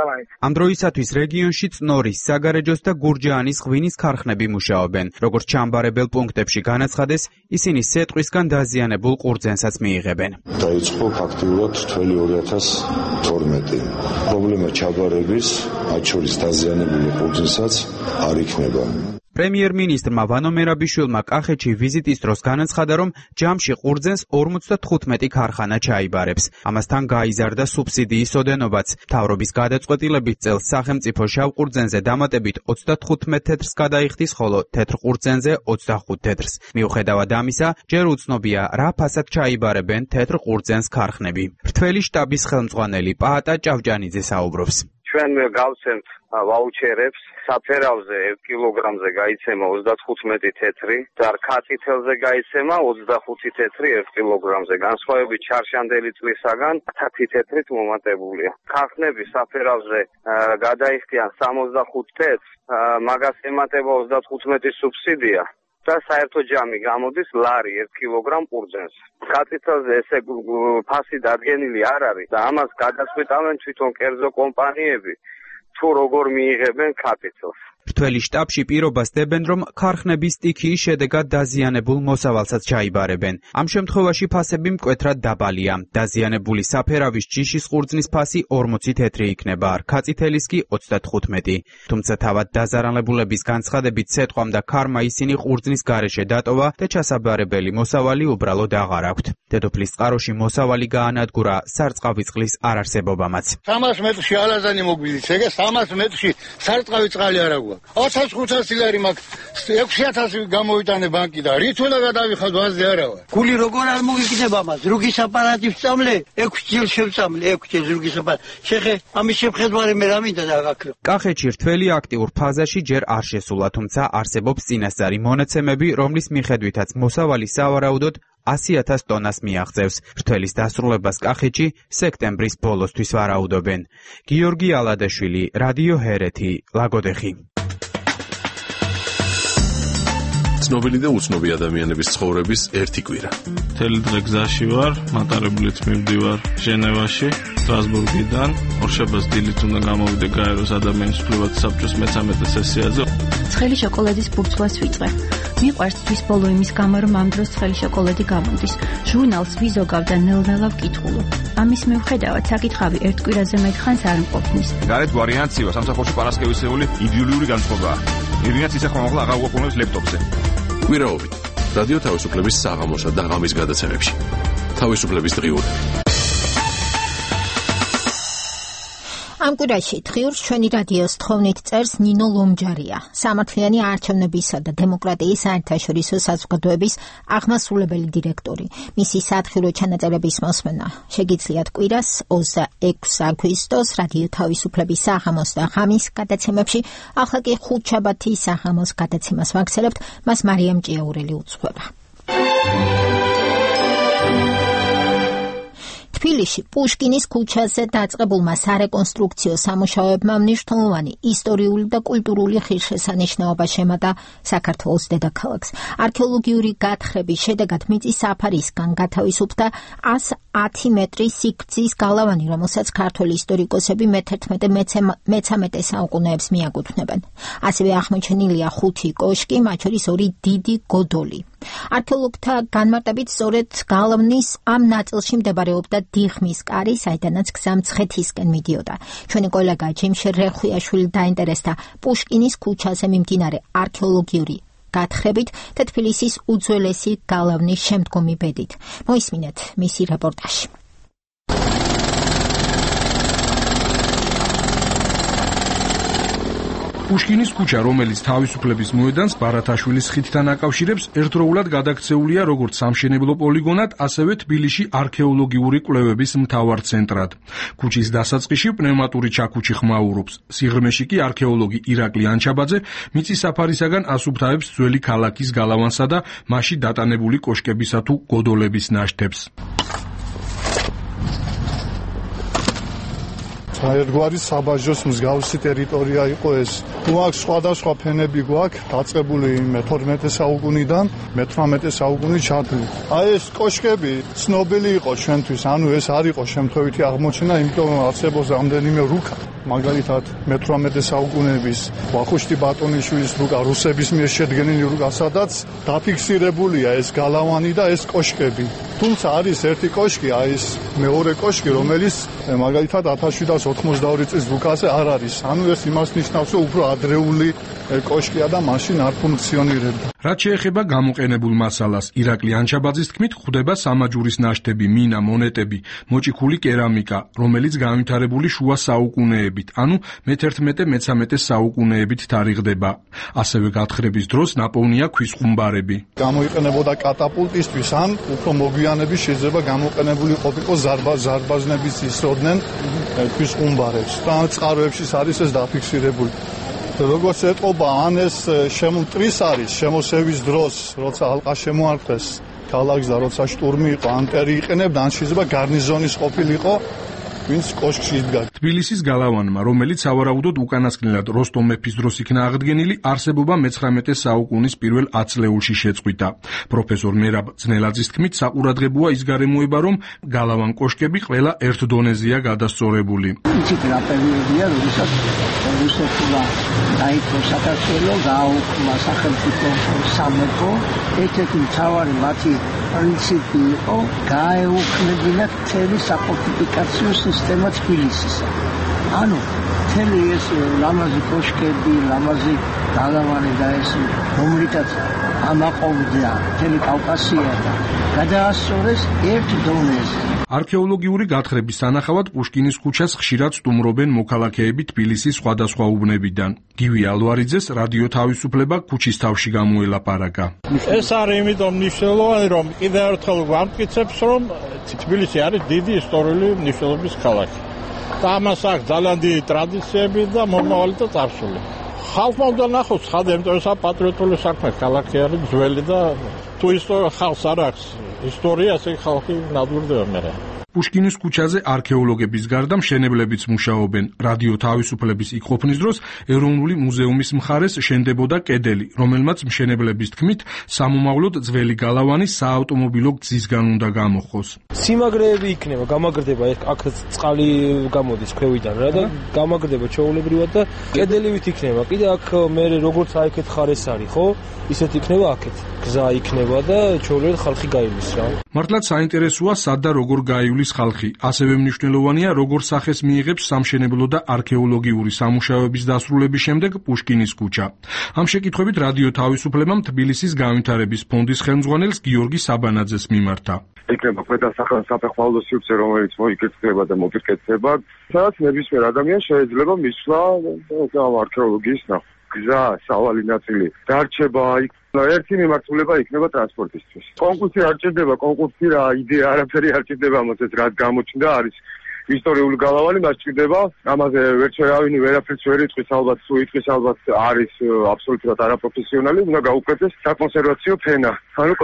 ამ დროისათვის რეგიონში წნორის, საგარეჯოს და გურჯაანის ღვინის ქარხნები მუშაობენ. როგორც ჩამბარებელ პუნქტებში განაცხადეს, ისინი სეტყვისგან დაზიანებულ ყურძენსაც მიიღებენ. დაიწყო ფაქტიურად თველი 2012. პრობლემა ჩაბარების, მათ შორის დაზიანებული ყურძნსაც არ იქნება. პრემიერ-მინისტრმა ვანო მერაბიშვილმა კახეთში ვიზიტის დროს განაცხადა, რომ ჯამში ყურძენს 55 ქარხანა ჩაიბარებს. ამასთან გაიზარდა სუბსიდიის ოდენობაც. მთავრობის გადაწყვეტილებით წელს სახელმწიფო შავ ყურძენზე დამატებით 35 თეთრს გადაიხდის, ხოლო თეთრ ყურძენზე 25 თეთრს. მიუხედავად ამისა, ჯერ უცნობია, რა ფასად ჩაიბარებენ თეთრ ყურძენს ქარხნები. რთველი შტაბის ხელმძღვანელი პაატა ჭავჭანიძე საუბრობს. ჩვენ გავცემთ ვაუჩერებს, საფერავზე 1 კილოგრამზე გაიცემა 35 თეთრი და რქაწითელზე გაიცემა 25 თეთრი 1 კილოგრამზე. განსხვავებით ჩარშანდელი წლისაგან 10 თეთრით მომატებულია. ქარხნები საფერავზე გადაიხდიან 65 თეთრს, მაგას ემატება 35 სუბსიდია და საერთო ჯამი გამოდის ლარი 1 კილოგრამ ყურძენს. ქაწითელზე ესე ფასი დადგენილი არ არის და ამას გადაწყვეტავენ თვითონ კერძო კომპანიები. თუ როგორ მიიღებენ ქაწითელს. რთველი შტაბში პირობას დებენ, რომ ქარხნების სტიქიის შედეგად დაზიანებულ მოსავალსაც ჩაიბარებენ. ამ შემთხვევაში ფასები მკვეთრად დაბალია. დაზიანებული საფერავის ჯიშის ყურძნის ფასი 40 თეთრი იქნება, რქაწითელის კი 35. თუმცა თავად დაზარალებულების განცხადებით სეტყვამ და ქარმა ისინი ყურძნის გარეშე დატოვა და ჩასაბარებელი მოსავალი უბრალოდ აღარ აქვთ. დედოფლის წყაროში მოსავალი გაანადგურა სარწყავი წყლის არარსებობამაც. 300 მეტრში ალაზანი მოგვიდის, ეგ 300 მეტრში სარწყავი წყალი არ აქვს. 2500 ლარი მაქვს, 6000 გამოვიტანე ბანკიდან. რით უნდა გადავიხად ვაზზე არა ვარ. გული როგორ არ მოგიკდება მას? რუგის აპარატი ვწამლე, 6 ჯერ შევწამლე, 6 ჯერ რუგის აპარატი. შეხე, ამის შეხედვარი მე რა მინდა დაგაქრო. კახეთში რთველი აქტიურ ფაზაში ჯერ არ შესულა, თუმცა არსებობს წინასწარი მონაცემები, რომლის მიხედვითაც მოსავალი სავარაუდოდ 100,000 ტონას მიაღწევს. რთველის დასრულებას კახეთში სექტემბრის ბოლოსთვის ვარაუდობენ. გიორგი ალადაშვილი, რადიო ჰერეთი, ლაგოდეხი. ცნობილი და უცნობი ადამიანების ცხოვრების ერთი კვირა. მთელი დღე გზაში ვარ, მატარებლით მივდივარ ჟენევაში, სტრასბურგიდან. ორშაბათს დილით უნდა გამოვიდე გაეროს ადამიანის უფლებათა საბჭოს მე-13 სესიაზე. ცხელი შოკოლადის ბურცვას ვიწყე. მიყვარს თვის ბოლო იმის გამო, რომ ამ დროს ცხელი შოკოლადი გამოდის. ჟურნალს ვიზოგავ და ნელ-ნელა ვკითხულობ. ამის მიუხედავად საკითხავი ერთ კვირაზე მეტხანს არ მყოფნის. გარეთ ვარიანციაა, სამსახურში პარასკევისეული იდეოლოგიური განწყობაა. ირინაც ისე ხომ აღარ უყურებს ლეპტოპზე. კვირაობით რადიო თავისუფლების საღამოსა და ღამის გადაცემებში. თავისუფლების დღიურები. ამ კვირაში დღიურს ჩვენი რადიოს თხოვნით წერს ნინო ლომჯარია, სამართლიანი არჩევნებისა და დემოკრატიის საერთაშორისო საზოგადოების აღმასრულებელი დირექტორი. მისი სათხილო ჩანაწერების მოსმენა შეგიძლიათ კვირას 26 აგვისტოს რადიო თავისუფლების საღამოს და ღამის გადაცემებში. ახლა კი ხუთშაბათის საღამოს გადაცემას ვაგრძელებთ, მას მარიამ ჭიაურელი უძღვება. თბილისში პუშკინის ქუჩაზე დაწყებულმა სარეკონსტრუქციო სამუშაოებმა მნიშვნელოვანი ისტორიული და კულტურული ღირსშესანიშნაობა შემატა საქართველოს დედაქალაქს. არქეოლოგიური გათხრების შედეგად მიწის საფარისგან გათავისუფლდა 110 მეტრის სიგრძის გალავანი, რომელსაც ქართველი ისტორიკოსები მე-11-13 საუკუნეებს მიაკუთვნებენ. ასევე აღმოჩენილია 5 კოშკი, მათ შორის 2 დიდი გოდოლი. არქეოლოგთა განმარტებით სწორედ გალავნის ამ ნაწილში მდებარეობდა დიღმის კარი, საიდანაც გზა მცხეთისკენ მიდიოდა. ჩვენი კოლეგა ჯიმშე რეხვიაშვილი დაინტერესდა პუშკინის ქუჩაზე მიმდინარე არქეოლოგიური გათხრებით და თბილისის უძველესი გალავნის შემდგომი ბედით. მოისმინეთ მისი რეპორტაჟი. პუშკინის ქუჩა, რომელიც თავისუფლების მოედანს ბარათაშვილის ხიდთან აკავშირებს, ერთდროულად გადაქცეულია როგორც სამშენებლო პოლიგონად, ასევე თბილისში არქეოლოგიური კვლევების მთავარ ცენტრად. ქუჩის დასაწყისში პნევმატური ჩაქუჩი ხმაურობს. სიღრმეში კი არქეოლოგი ირაკლი ანჩაბაძე მიწის საფარისაგან ასუფთავებს ძველი ქალაქის გალავანსა და მასში დატანებული კოშკებისა თუ გოდოლების ნაშთებს. ერთგვარი საბაჟოს მსგავსი ტერიტორია იყო ეს. თუ აქ სხვადასხვა ფენები გვაქვს, დაწყებული 12 საუკუნიდან 18 საუკუნის ჩათვლით. აი ეს კოშკები ცნობილი იყო ჩვენთვის, ანუ ეს არ იყო შემთხვევითი აღმოჩენა, იმიტომ რომ არსებობს რამდენიმე რუკა. მაგალითად 18 საუკუნეების ვახუშტი ბატონიშვილის რუკა, რუსების მიერ შედგენილი რუკა, სადაც დაფიქსირებულია ეს გალავანი და ეს კოშკები. თუმცა არის ერთი კოშკი, აი ეს მეორე კოშკი, რომელიც მაგალითად 1792 წლის რუკაზე არ არის. ანუ ეს იმას ნიშნავს, რომ უფრო ადრეული კოშკია და მაშინ არ ფუნქციონირებდა. რაც შეეხება გამოყენებულ მასალას, ირაკლი ანჩაბაძის თქმით, გვხვდება სამაჯურის ნაშთები, მინა, მონეტები, მოჭიქული კერამიკა, რომელიც განვითარებული შუა საუკუნეებით, ანუ მე-11-მე-13 საუკუნეებით თარიღდება. ასევე გათხრების დროს ნაპოვნია ქვის ხუმბარები. გამოიყენებოდა კატაპულტისთვის, ან უფრო მოგვიანებით შეიძლება გამოყენებული ყოფილიყო ზარბაზნების ისროდნენ ქვის ხუმბარებს. და წყაროებში არის ეს დაფიქსირებული. როგორც ეტყობა, ან ეს შემოტრის არის შემოსევის დროს, როცა ალყა შემოარტყეს ქალაქს და როცა შტურმი იყო, ანტერი იყენებდა, ან შეიძლება გარნიზონის ყოფილიყო, ვინც კოშკში იდგა. თბილისის გალავანმა, რომელიც სავარაუდოდ უკანასკნელად როსტომ მეფის დროს იქნა აღდგენილი, არსებობა მე-19 საუკუნის პირველ 10 წლეულში შეწყვიტა. პროფესორ მერაბ ძნელაძის თქმით, საყურადღებოა ის გარემოება, რომ გალავან კოშკები ყველა ერთ დონეზეა გადასწორებული. იცით რა პერიოდია, როდესაც რუსეთმა დაიწყო საქართველო, გააუქმა სახელმწიფო სამეფო, ერთ-ერთი მთავარი მათი პრინციპი იყო გაეუქმებინათ მთელი საფორტიფიკაციო სისტემა თბილისისა. ანუ მთელი ეს ლამაზი კოშკები, ლამაზი გალავანი და ეს რომლითაც ამაყობდა მთელი კავკასია და გადაასწორეს ერთ დონეზე. არქეოლოგიური გათხრების სანახავად პუშკინის ქუჩას ხშირად სტუმრობენ მოქალაქეები თბილისის სხვადასხვა უბნებიდან. გივი ალვარიძეს რადიო თავისუფლება ქუჩის თავში გამოელაპარაკა. ეს არის იმიტომ მნიშვნელოვანი, რომ კიდევ ერთხელ ვამტკიცებს, რომ თბილისი არის დიდი ისტორიული მნიშვნელობის ქალაქი. და ამას აქვს ძალიან დიდი ტრადიციები და მომავალი და წარსული. ხალხმა უნდა ნახოს ხალხი, იმიტომ რომ პატრიოტული საქმე ქალაქი არის ძველი და თუ ხალხს არ აქვს ისტორია, ესე ხალხი ნადირდება მერე. პუშკინის ქუჩაზე არქეოლოგების გარდა მშენებლებიც მუშაობენ. რადიო თავისუფლების იქ ყოფნის დროს ეროვნული მუზეუმის მხარეს შენდებოდა კედელი, რომელმაც მშენებლების თქმით, სამომავლოდ ძველი გალავანი საავტომობილო გზისგან უნდა გამოხოს. სიმაგრეები იქნება, გამაგრდება, აქ წყალი გამოდის ქვევიდან რა და გამაგრდება ჩვეულებრივად და კედელივით იქნება. კიდე აქ მე როგორც აიქეთ ხარეს არის, ხო? ისეთ იქნება აქეთ. გზა იქნება და ჩვეულებრივად ხალხი გაივლის რა. მართლაც საინტერესოა სად და როგორ გაივლის ხალხი. ასევე მნიშვნელოვანია, როგორ სახეს მიიღებს სამშენებლო და არქეოლოგიური სამუშაოების დასრულების შემდეგ პუშკინის ქუჩა. ამ შეკითხვებით რადიო თავისუფლებამ თბილისის განვითარების ფონდის ხელმძღვანელს გიორგი საბანაძეს მიმართა. იქნება ქვედა საფეხმავლო სივრცე, რომელიც მოიკეთება და მოპირკეთება, სადაც ნებისმიერ ადამიანს შეიძლება მისვლა არქეოლოგიის ნახვა. გზა, სავალი ნაწილი დარჩება იქ. ერთი მიმართულება იქნება ტრანსპორტისთვის. კონკურსი არ ჭირდება, კონკურსი რა იდეა არაფერი არ ჭირდება, ამასაც რაც გამოჩნდა არის ისტორიული გალავანი, მას ჭირდება. ამაზე ვერჩერავინი ვერაფერს ვერ იტყვის, ალბათ თუ იტყვის, ალბათ არის აბსოლუტურად არაპროფესიონალი, უნდა გაუკეთდეს საკონსერვაციო ფენა. ანუ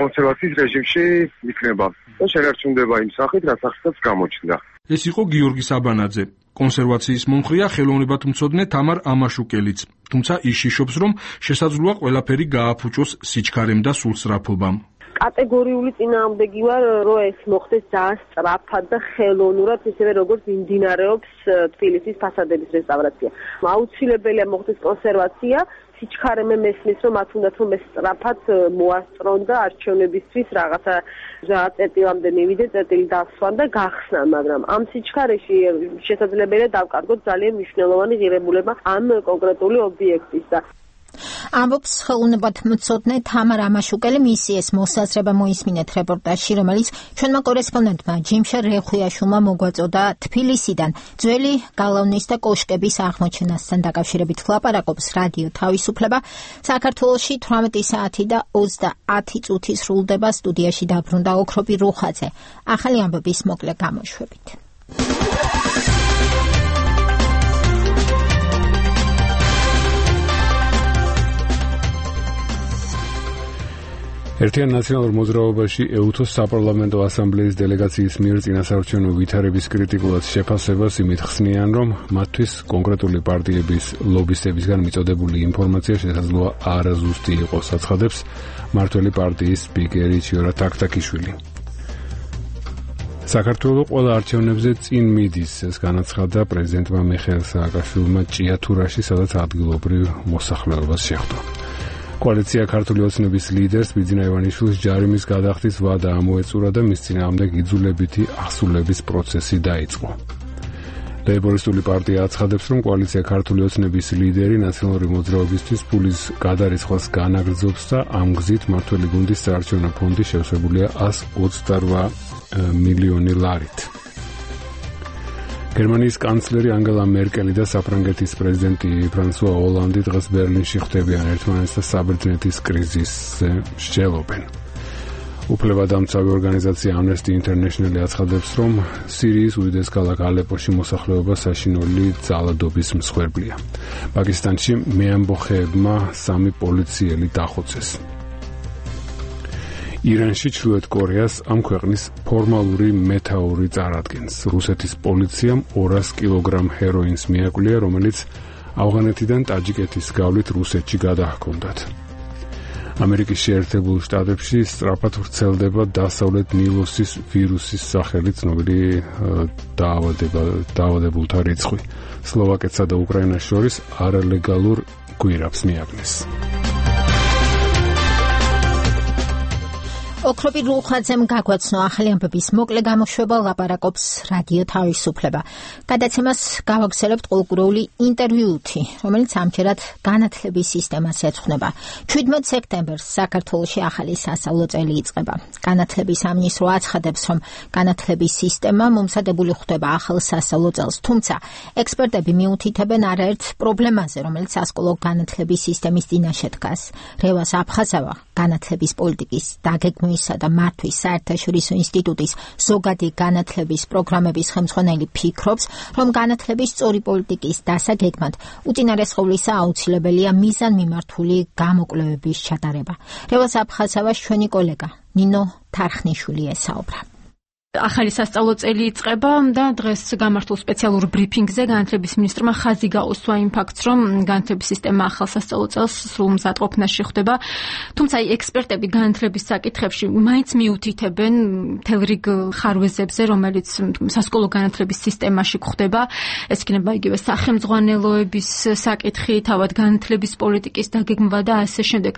კონსერვაციის რეჟიმში იქნება და შენარჩუნდება იმ სახით, რაც ახლა გამოჩნდა. ეს იყო გიორგი საბანაძე. კონსერვაციის მომხრეა ხელოვნებათმცოდნე თამარ ამაშუკელიც. თუმცა ის შიშობს, რომ შესაძლოა ყველაფერი გააფუჭოს სიჩქარემ და სულსწრაფობამ. კატეგორიული წინააღმდეგი ვარ, რომ ეს მოხდეს ძალიან სწრაფად და ხელოვნურად, ისევე როგორც მიმდინარეობს თბილისის ფასადების რესტავრაცია. აუცილებელია მოხდეს კონსერვაცია. სიჩქარე მესმის, რომ მათ უნდათ რომ ეს სწრაფად მოასწრონ და არჩევნებისთვის რაღაცა წერტილამდე მივიდე, წერტილი დასვან და გახსნან, მაგრამ ამ სიჩქარეში შესაძლებელია დავკარგოთ ძალიან მნიშვნელოვანი ღირებულება ამ კონკრეტული ობიექტის და ამბობს ხელოვნებათმცოდნე თამარ ამაშუკელი. მისი ეს მოსაზრება მოისმინეთ რეპორტაჟში, რომელიც ჩვენმა კორესპონდენტმა ჯიმშა რეხვიაშვილმა მოგვაწოდა თბილისიდან. ძველი გალავნის და კოშკების აღმოჩენასთან დაკავშირებით ლაპარაკობს რადიო თავისუფლება. საქართველოში 18 საათი და 30 წუთი სრულდება. სტუდიაში დაბრუნდა ოქროპი რუხაძე. ახალი ამბების მოკლე გამოშვებით. ერთიან ნაციონალურ მოძრაობაში ეუთოს საპარლამენტო ასამბლეის დელეგაციის მიერ წინასაარჩევნო ვითარების კრიტიკულად შეფასებას იმით ხსნიან, რომ მათთვის კონკრეტული პარტიების ლობისტებისგან მიწოდებული ინფორმაცია შესაძლოა არაზუსტი იყოს, აცხადებს მმართველი პარტიის სპიკერი ჩიორა თაქთაქიშვილი. საქართველოს ყველა არჩევნებზე წინ მიდის, ეს განაცხადა პრეზიდენტმა მიხეილ სააკაშვილმა ჭიათურაში, სადაც ადგილობრივ მოსახლეობას შეხვდა. კოალიცია ქართული ოცნების ლიდერს ბიძინა ივანიშვილის ჯარიმის გადახდის ვადა ამოეწურა და მის წინააღმდეგ იძულებითი აღსრულების პროცესი დაიწყო. ლეიბორისტული პარტია აცხადებს, რომ კოალიცია ქართული ოცნების ლიდერი ნაციონალური მოძრაობისთვის ფულის გადარიცხვას განაგრძობს და ამ გზით მმართველი გუნდის საარჩევნო ფონდი შევსებულია 128 მილიონი ლარით. გერმანიის კანცლერი ანგელა მერკელი და საფრანგეთის პრეზიდენტი ფრანსუა ოლანდი დღეს ბერლინში ხვდებიან ერთმანეთს და საბერძნეთის კრიზისზე მსჯელობენ. უფლებადამცავი ორგანიზაცია Amnesty International აცხადებს, რომ სირიის უდიდეს ქალაქ ალეპოში მოსახლეობა საშინელი ძალადობის მსხვერპლია. პაკისტანში მეამბოხეებმა 3 პოლიციელი დახოცეს. ირანში ჩრდილოეთ კორეას ამ ქვეყნის ფორმალური მეთაური წარადგენს. რუსეთის პოლიციამ 200 კილოგრამ ჰეროინს მიაკვლია, რომელიც ავღანეთიდან ტაჯიკეთის გავლით რუსეთში გადაჰქონდათ. ამერიკის შეერთებულ შტატებში სწრაფად ვრცელდება დასავლეთ ნილოსის ვირუსის სახელი ცნობილი დაავადებულთა რიცხვი. სლოვაკეთსა და უკრაინას შორის არალეგალურ გვირაბს მიაგნეს. ოქროპი რუხაძემ გაგვაცნო ახალი ამბების მოკლე გამოშვება, ლაპარაკობს რადიო თავისუფლება. გადაცემას გავაგზავნებთ ყოველკვირეული ინტერვიუთი, რომელიც ამჯერად განათლების სისტემას ეძღვნება. 17 სექტემბერს საქართველოში ახალი სასწავლო წელი იწყება. განათლების სამინისტრო აცხადებს, რომ განათლების სისტემა მომზადებული ხდება ახალ სასწავლო წელს, თუმცა ექსპერტები მიუთითებენ არაერთ პრობლემაზე, რომელიც სასკოლო განათლების სისტემის წინაშე დგას. რევას აფხაზავა განათლების პოლიტიკის დაგეგმვისა და მართვის საერთაშორისო ინსტიტუტის ზოგადი განათლების პროგრამების ხელმძღვანელი ფიქრობს, რომ განათლების სწორი პოლიტიკის დასაგეგმად უწინარესყოვლისა აუცილებელია მიზანმიმართული გამოკვლევების ჩატარება. რევას აფხაზავას ჩვენი კოლეგა ნინო თარხნიშვილი ესაუბრა. ახალი სასწავლო წელი იწყება და დღეს გამართულ სპეციალურ ბრიფინგზე განათლების მინისტრმა ხაზი გაუსვა იმ ფაქტს, რომ განათლების სისტემა ახალ სასწავლო წელს სრულ მზადყოფნაში ხდება. თუმცა ექსპერტები განათლების საკითხებში მაინც მიუთითებენ მთელ რიგ ხარვეზებზე, რომელიც სასკოლო განათლების სისტემაში გვხდება. ეს იქნება იგივე სახელმძღვანელოების საკითხი, თავად განათლების პოლიტიკის დაგეგმვა და ასე შემდეგ.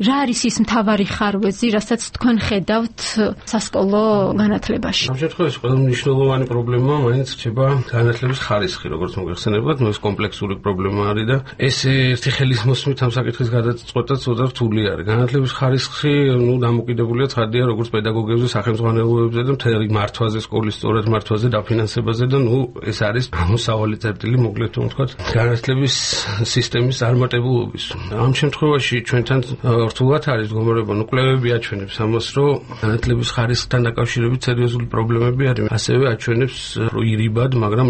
რა არის ის მთავარი ხარვეზი, რასაც თქვენ ხედავთ სასკოლო განათლებაში? ამ შემთხვევაში ყველა მნიშვნელოვანი პრობლემა მაინც რჩება განათლების ხარისხი, როგორც მოგეხსენებათ, ეს კომპლექსური პრობლემა არის და ეს ერთი ხელის მოსმით ამ საკითხის გადაწყვეტა ცოტა რთული არის. განათლების ხარისხი, დამოკიდებულია ცხადია როგორც პედაგოგებზე, სახელმძღვანელოებზე და მთელი მართვაზე, სკოლის სწორად მართვაზე, დაფინანსებაზე და ეს არის მოსავალი წერტილი, მოკლედ ვთქვათ, განათლების სისტემის წარმატებულობის. ამ შემთხვევაში ჩვენთან რთულად არის მდგომარეობა, კვლევები აჩვენებს ამას, რომ განათლების ხარისხთან დაკავშირებით სერიოზული პრობლემები არის. ასევე აჩვენებს ირიბად, მაგრამ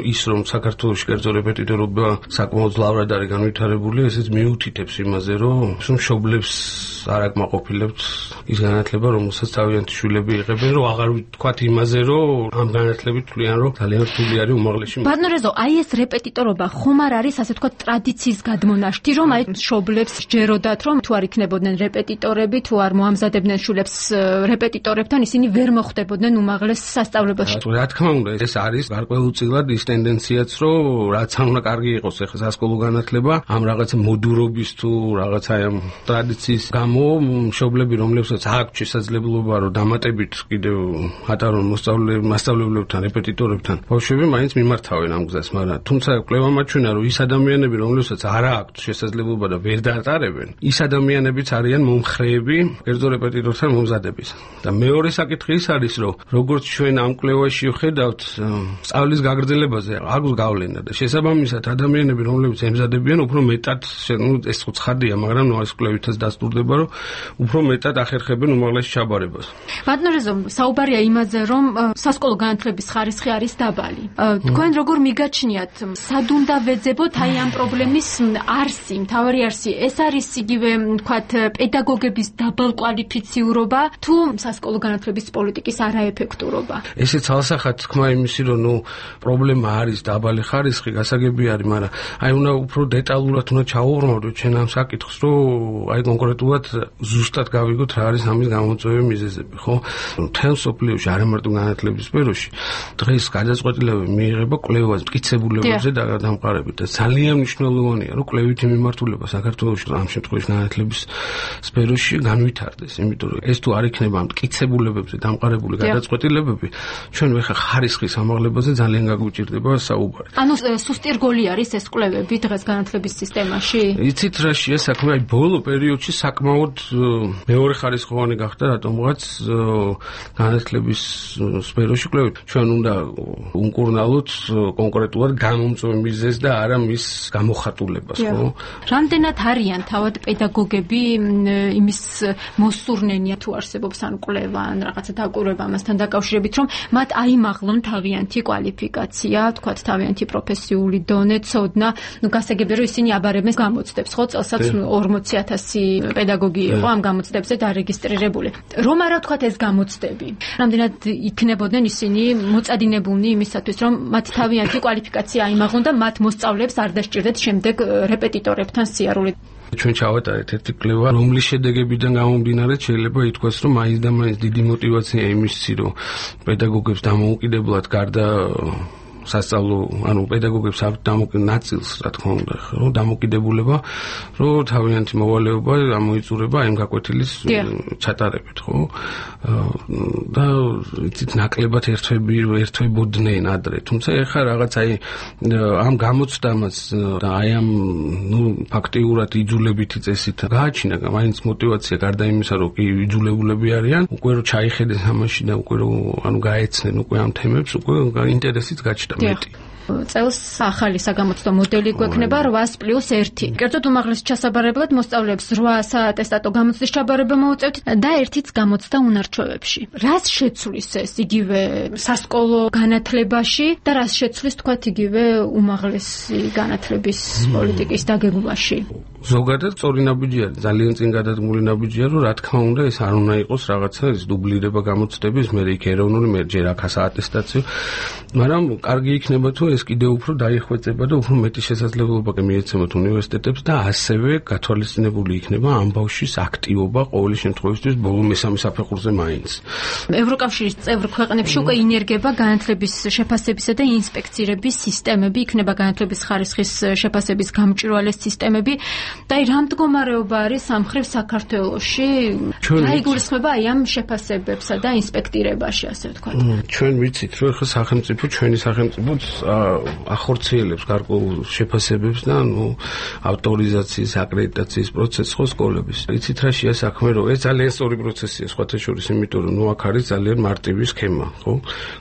ის რომ საქართველოში კერძო რეპეტიტორობა საკმაოდ ძლავრად არის განვითარებული, ესეც მიუთითებს იმაზე, რომ მშობლებს არ აკმაყოფილებთ ის განათლება, რომელსაც თავიანთი შვილები იღებენ, რომ აღარ ვთქვათ იმაზე, რომ ამ განათლებით თვლიან, რომ ძალიან რთული არის უმაღლესი. ბატონო რეზო, აი ეს რეპეტიტორობა ხომ არ არის ასე ვთქვათ ტრადიციის გადმონაშთი, რომ აი მშობლებს ჯეროდათ, რომ თუ არ იქნებოდნენ რეპეტიტორები, თუ არ მოამზადებდნენ შვილებს რეპეტიტორებთან, ისინი ვერ მოხვდებოდნენ უმაღლეს სასწავლებელში. რა თქმა უნდა, ეს არის გარკვეულწილად ის ტენდენციაც, რომ რაც არ უნდა კარგი იყოს ახლა სასკოლო განათლება, ამ რაღაცა მოდურობის თუ რაღაცა ამ ტრადიციის გამო მშობლები, რომლებსაც აქვს შესაძლებლობა, რომ დამატებით კიდევ ატარონ მასწავლებლებთან, რეპეტიტორებთან, ბავშვები მაინც მიმართავენ ამ გზას, მაგრამ თუმცა კვლევა მაჩვენა, რომ ის ადამიანები, რომლებსაც არ აქვს შესაძლებლობა და ვერ დაატარებენ, ის ადამიანებიც არიან მომხრეები კერძო რეპეტიტორთან მომზადების. და მეორე საკითხი ის არის, რომ როგორც ჩვენ ამ კვლევაში ვხედავთ, სწავლის გაგრძელებაზე აქვს გავლენა და შესაბამისად ადამიანები, რომლებიც ემზადებიან, უფრო მეტად, ეს ცხადია, მაგრამ ეს კვლევითაც დასტურდება, რომ უფრო მეტად ახერხებენ უმაღლეს ჩაბარებას. ბატონო რეზო, საუბარია იმაზე, რომ სასკოლო განათლების ხარისხი არის დაბალი. თქვენ როგორ მიგაჩნიათ, სად უნდა ვეძებოთ აი ამ პრობლემის არსი, მთავარი არსი? ეს არის იგივე, ვთქვათ, პედაგოგების დაბალკვალიფიციურობა თუ სასკოლო განათლების პოლიტიკის არაეფექტურობა? ესეც ალსახად თქმა იმისი, რომ პრობლემა არის დაბალი ხარისხი, გასაგები არის, მაგრამ აი უნდა უფრო დეტალურად უნდა ჩავუღრმავდეთ ჩვენ ამ საკითხს, რომ აი კონკრეტულად ზუსტად გავიგოთ რა არის ამის გამოწვევი მიზეზები, ხო? მთელ მსოფლიოში, არა მარტო განათლების სფეროში, დღეს გადაწყვეტილება მიიღება კვლევაზე, მტკიცებულებებზე დამყარებით და ძალიან მნიშვნელოვანია, რომ კვლევითი მიმართულება საქართველოში ამ შემთხვევაში განათლების სფეროში განვითარდეს, იმიტომ რომ ეს თუ არ იქნება მტკიცებულებებზე დამყარებული გადაწყვეტილებები, ჩვენ ხა ხარისხის ამაღლებაზე ძალიან გაგვიჭირდება საუბარი. ანუ სუსტი რგოლი არის ეს კვლევები დღეს განათლების სისტემაში? იცით რა შეა საქმე, აი ბოლო პერიოდში საკმაოდ მეორე ხარისხოვანი გახდა რატომღაც განათლების სფეროში კვლევები. ჩვენ უნდა უმკურნალოთ კონკრეტულად გამომწვევ მიზეზს და არა მის გამოხატულებას, ხო? რამდენად არიან თავად პედაგოგები იმის მოსურნენია თუ არსებობს ან კვლევა ან რაღაცა დაკვირვება ამასთან დაკავშირებით, რომ მათ აიმაღლონ თავიანთი კვალიფიკაცია, თქვათ თავიანთი პროფესიული დონე, ცოდნა, გასაგებია რომ ისინი აბარებენ გამოცდებს, ხო, წელსაც 40,000 პედაგოგი იყო ამ გამოცდებზე დარეგისტრირებული. რომ არა თქვათ ეს გამოცდები, რამდენად იქნებოდნენ ისინი მოწადინებულნი იმისათვის, რომ მათ თავიანთი კვალიფიკაცია აიმაღლონ და მათ მოსწავლეებს არ დასჭირდეთ შემდეგ რეპეტიტორებთან სიარული. ჩვენ ჩავატარეთ ერთი კვლევა, რომლის შედეგებიდან გამომდინარე შეიძლება ითქვას, რომ მაინც და მაინც დიდი мотиваცია იმისი, რომ პედაგოგებს დამოუკიდებლად გარდა სასწავლო, ანუ პედაგოგებს აქვს დამოკიდებული ნაწილს, რა თქმა უნდა, რომ დამოკიდებულება, რომ თავიანთი მოვალეობა ამოიწურება იმ გაკვეთილის ჩატარებით, ხო? და იცით ნაკლებად ერთვებოდნენ ადრე, თუმცა ეხლა რაღაც აი ამ გამოცდამაც და აი ამ ფაქტიურად იძულებითი წესით გააჩინა, მაინც мотиваცია გარდა იმისა, რომ კი იძულებულები არიან, უკვე რომ ჩაიხედეს ამაში და უკვე რომ ანუ გაეცნენ უკვე ამ თემებს, უკვე ინტერესიც გაჩნდა. წელს ახალი საგამოცდო მოდელი გვექნება 8+1. კერძოდ უმაღლეს ჩასაბარებლად მოსწავლეებს 8 საატესტატო გამოცდის ჩაბარება მოუწევთ და 1-იც გამოცდა უნარჩვევებში. რას შეცვლის ეს იგივე სასკოლო განათლებაში და რას შეცვლის თქვათ იგივე უმაღლესი განათლების პოლიტიკის დაგეგმვაში? ზოგადად სწორი ნაბიჯი არის, ძალიან წინ გადადგმული ნაბიჯია, რომ რა თქმა უნდა ეს არ უნდა იყოს რაღაცა ეს დუბლირება გამოცდების, მე იქ ეროვნული, მე ჯერ აქ საატესტაციო, მაგრამ კარგი იქნება თუ ეს კიდევ უფრო დაიხვეწება და უფრო მეტი შესაძლებლობა მიეცემოთ უნივერსიტეტებს და ასევე გათვალისწინებული იქნება ამ ბავშვის აქტივობა ყოველი შემთხვევაში ბოლო მესამე საფეხურზე მაინც. ევროკავშირის წევრ ქვეყნებში უკვე ინერგება განათლების შეფასებისა და ინსპექცირების სისტემები, იქნება განათლების ხარისხის შეფასების გამჭვირვალე სისტემები. და რა მდგომარეობა არის სამხრეთ საქართველოში? რა იგულისხმება აი ამ შეფასებებსა და ინსპექტირებაში, ასე ვთქვათ? ჩვენ ვიცით, რომ ხა სახელმწიფო, ჩვენი სახელმწიფოც ახორციელებს გარკვეულ შეფასებებს და ავტორიზაციის, აკრედიტაციის პროცესს ხო სკოლების. ვიცით რა შეა საქმე, რომ ეს ძალიან სწორი პროცესია სხვათა შორის, იმიტომ რომ აქ არის ძალიან მარტივი სქემა, ხო?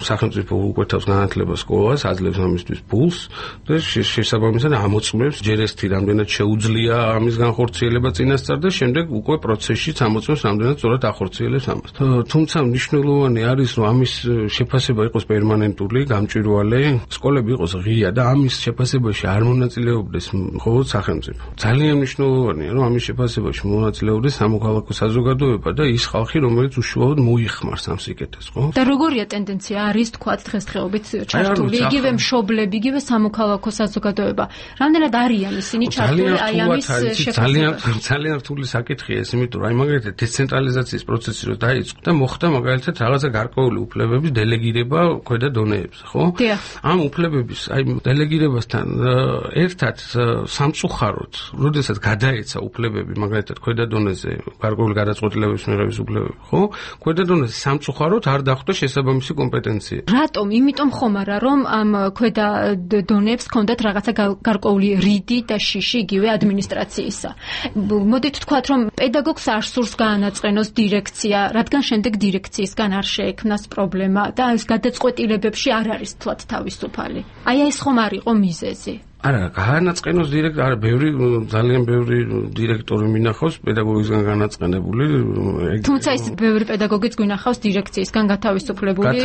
სახელმწიფო უკვეთავს განათლებას სკოლას, აძლევს ამისთვის ფულს და შესაბამისად ამოწმებს ჯერ ერთი რამდენად შეუძლია ამის განხორციელება წინასწარ და შემდეგ უკვე პროცესშიც ამოწმებს რამდენად სწორად ახორციელებს ამას. თუმცა მნიშვნელოვანი არის, რომ ამის შეფასება იყოს პერმანენტული, გამჭვირვალე, სკოლები იყოს ღია და ამის შეფასებაში არ მონაწილეობდეს მხოლოდ სახელმწიფო. ძალიან მნიშვნელოვანია, რომ ამის შეფასებაში მონაწილეობდეს სამოქალაქო საზოგადოება და ის ხალხი, რომელიც უშუალოდ მოიხმარს ამ სიკეთეს, ხო? და როგორია ტენდენცია არის თქვათ დღესდღეობით ჩართული იგივე მშობლები, იგივე სამოქალაქო საზოგადოება. რამდენად არიან ისინი ჩართული აი ამის ძალიან რთული საკითხია ეს, იმიტომ რომ აი მაგალითად დეცენტრალიზაციის პროცესი რო დაიწყო და მოხდა მაგალითად რაღაცა გარკვეული უფლებების დელეგირება ქვედა დონეებზე, ხო? ამ უფლებების აი დელეგირებასთან ერთად სამწუხაროდ, როდესაც გადაეცა უფლებები მაგალითად ქვედა დონეზე გარკვეული გადაწყვეტილებების მიღების უფლებები, ხო? ქვედა დონეზე სამწუხაროდ არ დახვდა შესაბამისი კომპეტენცია. რატომ? იმიტომ ხომ არა რომ ამ ქვედა დონეებს ჰქონდათ რაღაცა გარკვეული რიდი და შიში იგივე ადმინისტრაციისა. მოდით ვთქვათ რომ პედაგოგს არ სურს გაანაწყენოს დირექცია, რადგან შემდეგ დირექციისგან არ შეექმნას პრობლემა და ეს გადაწყვეტილებებში არ არის თვათ თავისუფალი. აი ეს ხომ არ იყო მიზეზი. არა, განაწყენოს არა, ძალიან ბევრი დირექტორი მინახავს პედაგოგისგან განაწყენებული. თუმცა ის ბევრი პედაგოგიც გვინახავს დირექციისგან გათავისუფლებული.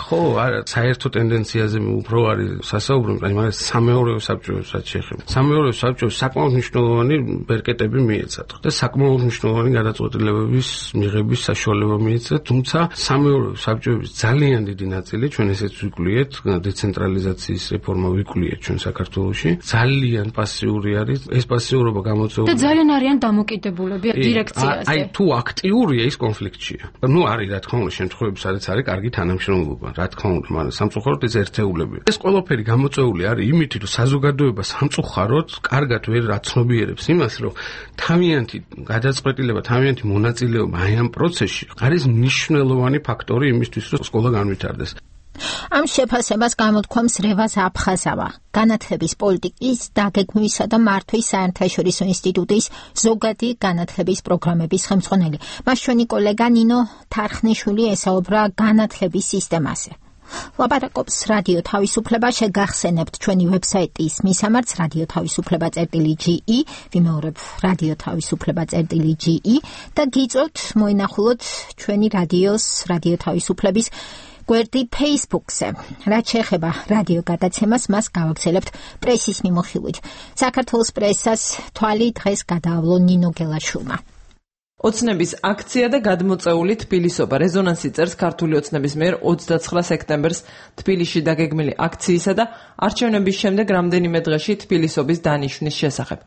ხო, არა, საერთო ტენდენციაზე უფრო არის სასაუბრო, აი მაგას სამეურვეო საბჭოებსაც შეეხება. სამეურვეო საბჭოებს საკმაოდ მნიშვნელოვანი ბერკეტები მიეცათ და საკმაოდ მნიშვნელოვანი გადაწყვეტილებების მიღების საშუალება მიეცათ, თუმცა სამეურვეო საბჭოების ძალიან დიდი ნაწილი ჩვენ ესეც ვიკვლიეთ, დეცენტრალიზაციის რეფორმა ვიკვლიეთ ჩვენ საქართველოში. ძალიან პასიური არის, ეს პასიურობა გამოწვეული. და ძალიან არიან დამოკიდებულები დირექციაზე. აი თუ აქტიურია ის კონფლიქტშია. ნუ არის რა თქმა უნდა შემთხვევები, სადაც არის კარგი თანამშრომლობა, რა თქმა უნდა, მაგრამ სამწუხაროდ ეს ერთეულებია. ეს ყველაფერი გამოწვეული არის იმით, რომ საზოგადოება სამწუხაროდ კარგად ვერ აცნობიერებს იმას, რომ თავიანთი გადაწყვეტილება, თავიანთი მონაწილეობა აი ამ პროცესში არის მნიშვნელოვანი ფაქტორი იმისთვის, რომ სკოლა განვითარდეს. ამ შეფასებას გამოთქვამს რევაზ აფხაზავა, განათლების პოლიტიკის დაგეგმვისა და მართვის საერთაშორისო ინსტიტუტის ზოგადი განათლების პროგრამების ხელმძღვანელი. მას ჩვენი კოლეგა ნინო თარხნიშვილი ესაუბრა განათლების სისტემაზე. ლაპარაკობს რადიო თავისუფლება, შეგახსენებთ ჩვენი ვებსაიტის მისამართს radiotavisufleba.ge, ვიმეორებ radiotavisufleba.ge და გიწევთ მოინახულოთ ჩვენი რადიო თავისუფლების გვერდი Facebook-ზე. რაც შეეხება რადიო გადაცემას, მას გავაგზავნებთ პრესის მიმოხილვით. საქართველოს პრესას თვალი დღეს გადაავლო ნინო გელაშვილმა. ოცნების აქცია და გადმოწეული თბილისობა. რეზონანსი წერს ქართული ოცნების მიერ 29 სექტემბერს თბილისში დაგეგმილი აქციისა და არჩევნების შემდეგ რამდენიმე დღეში თბილისობის დანიშვნის შესახებ.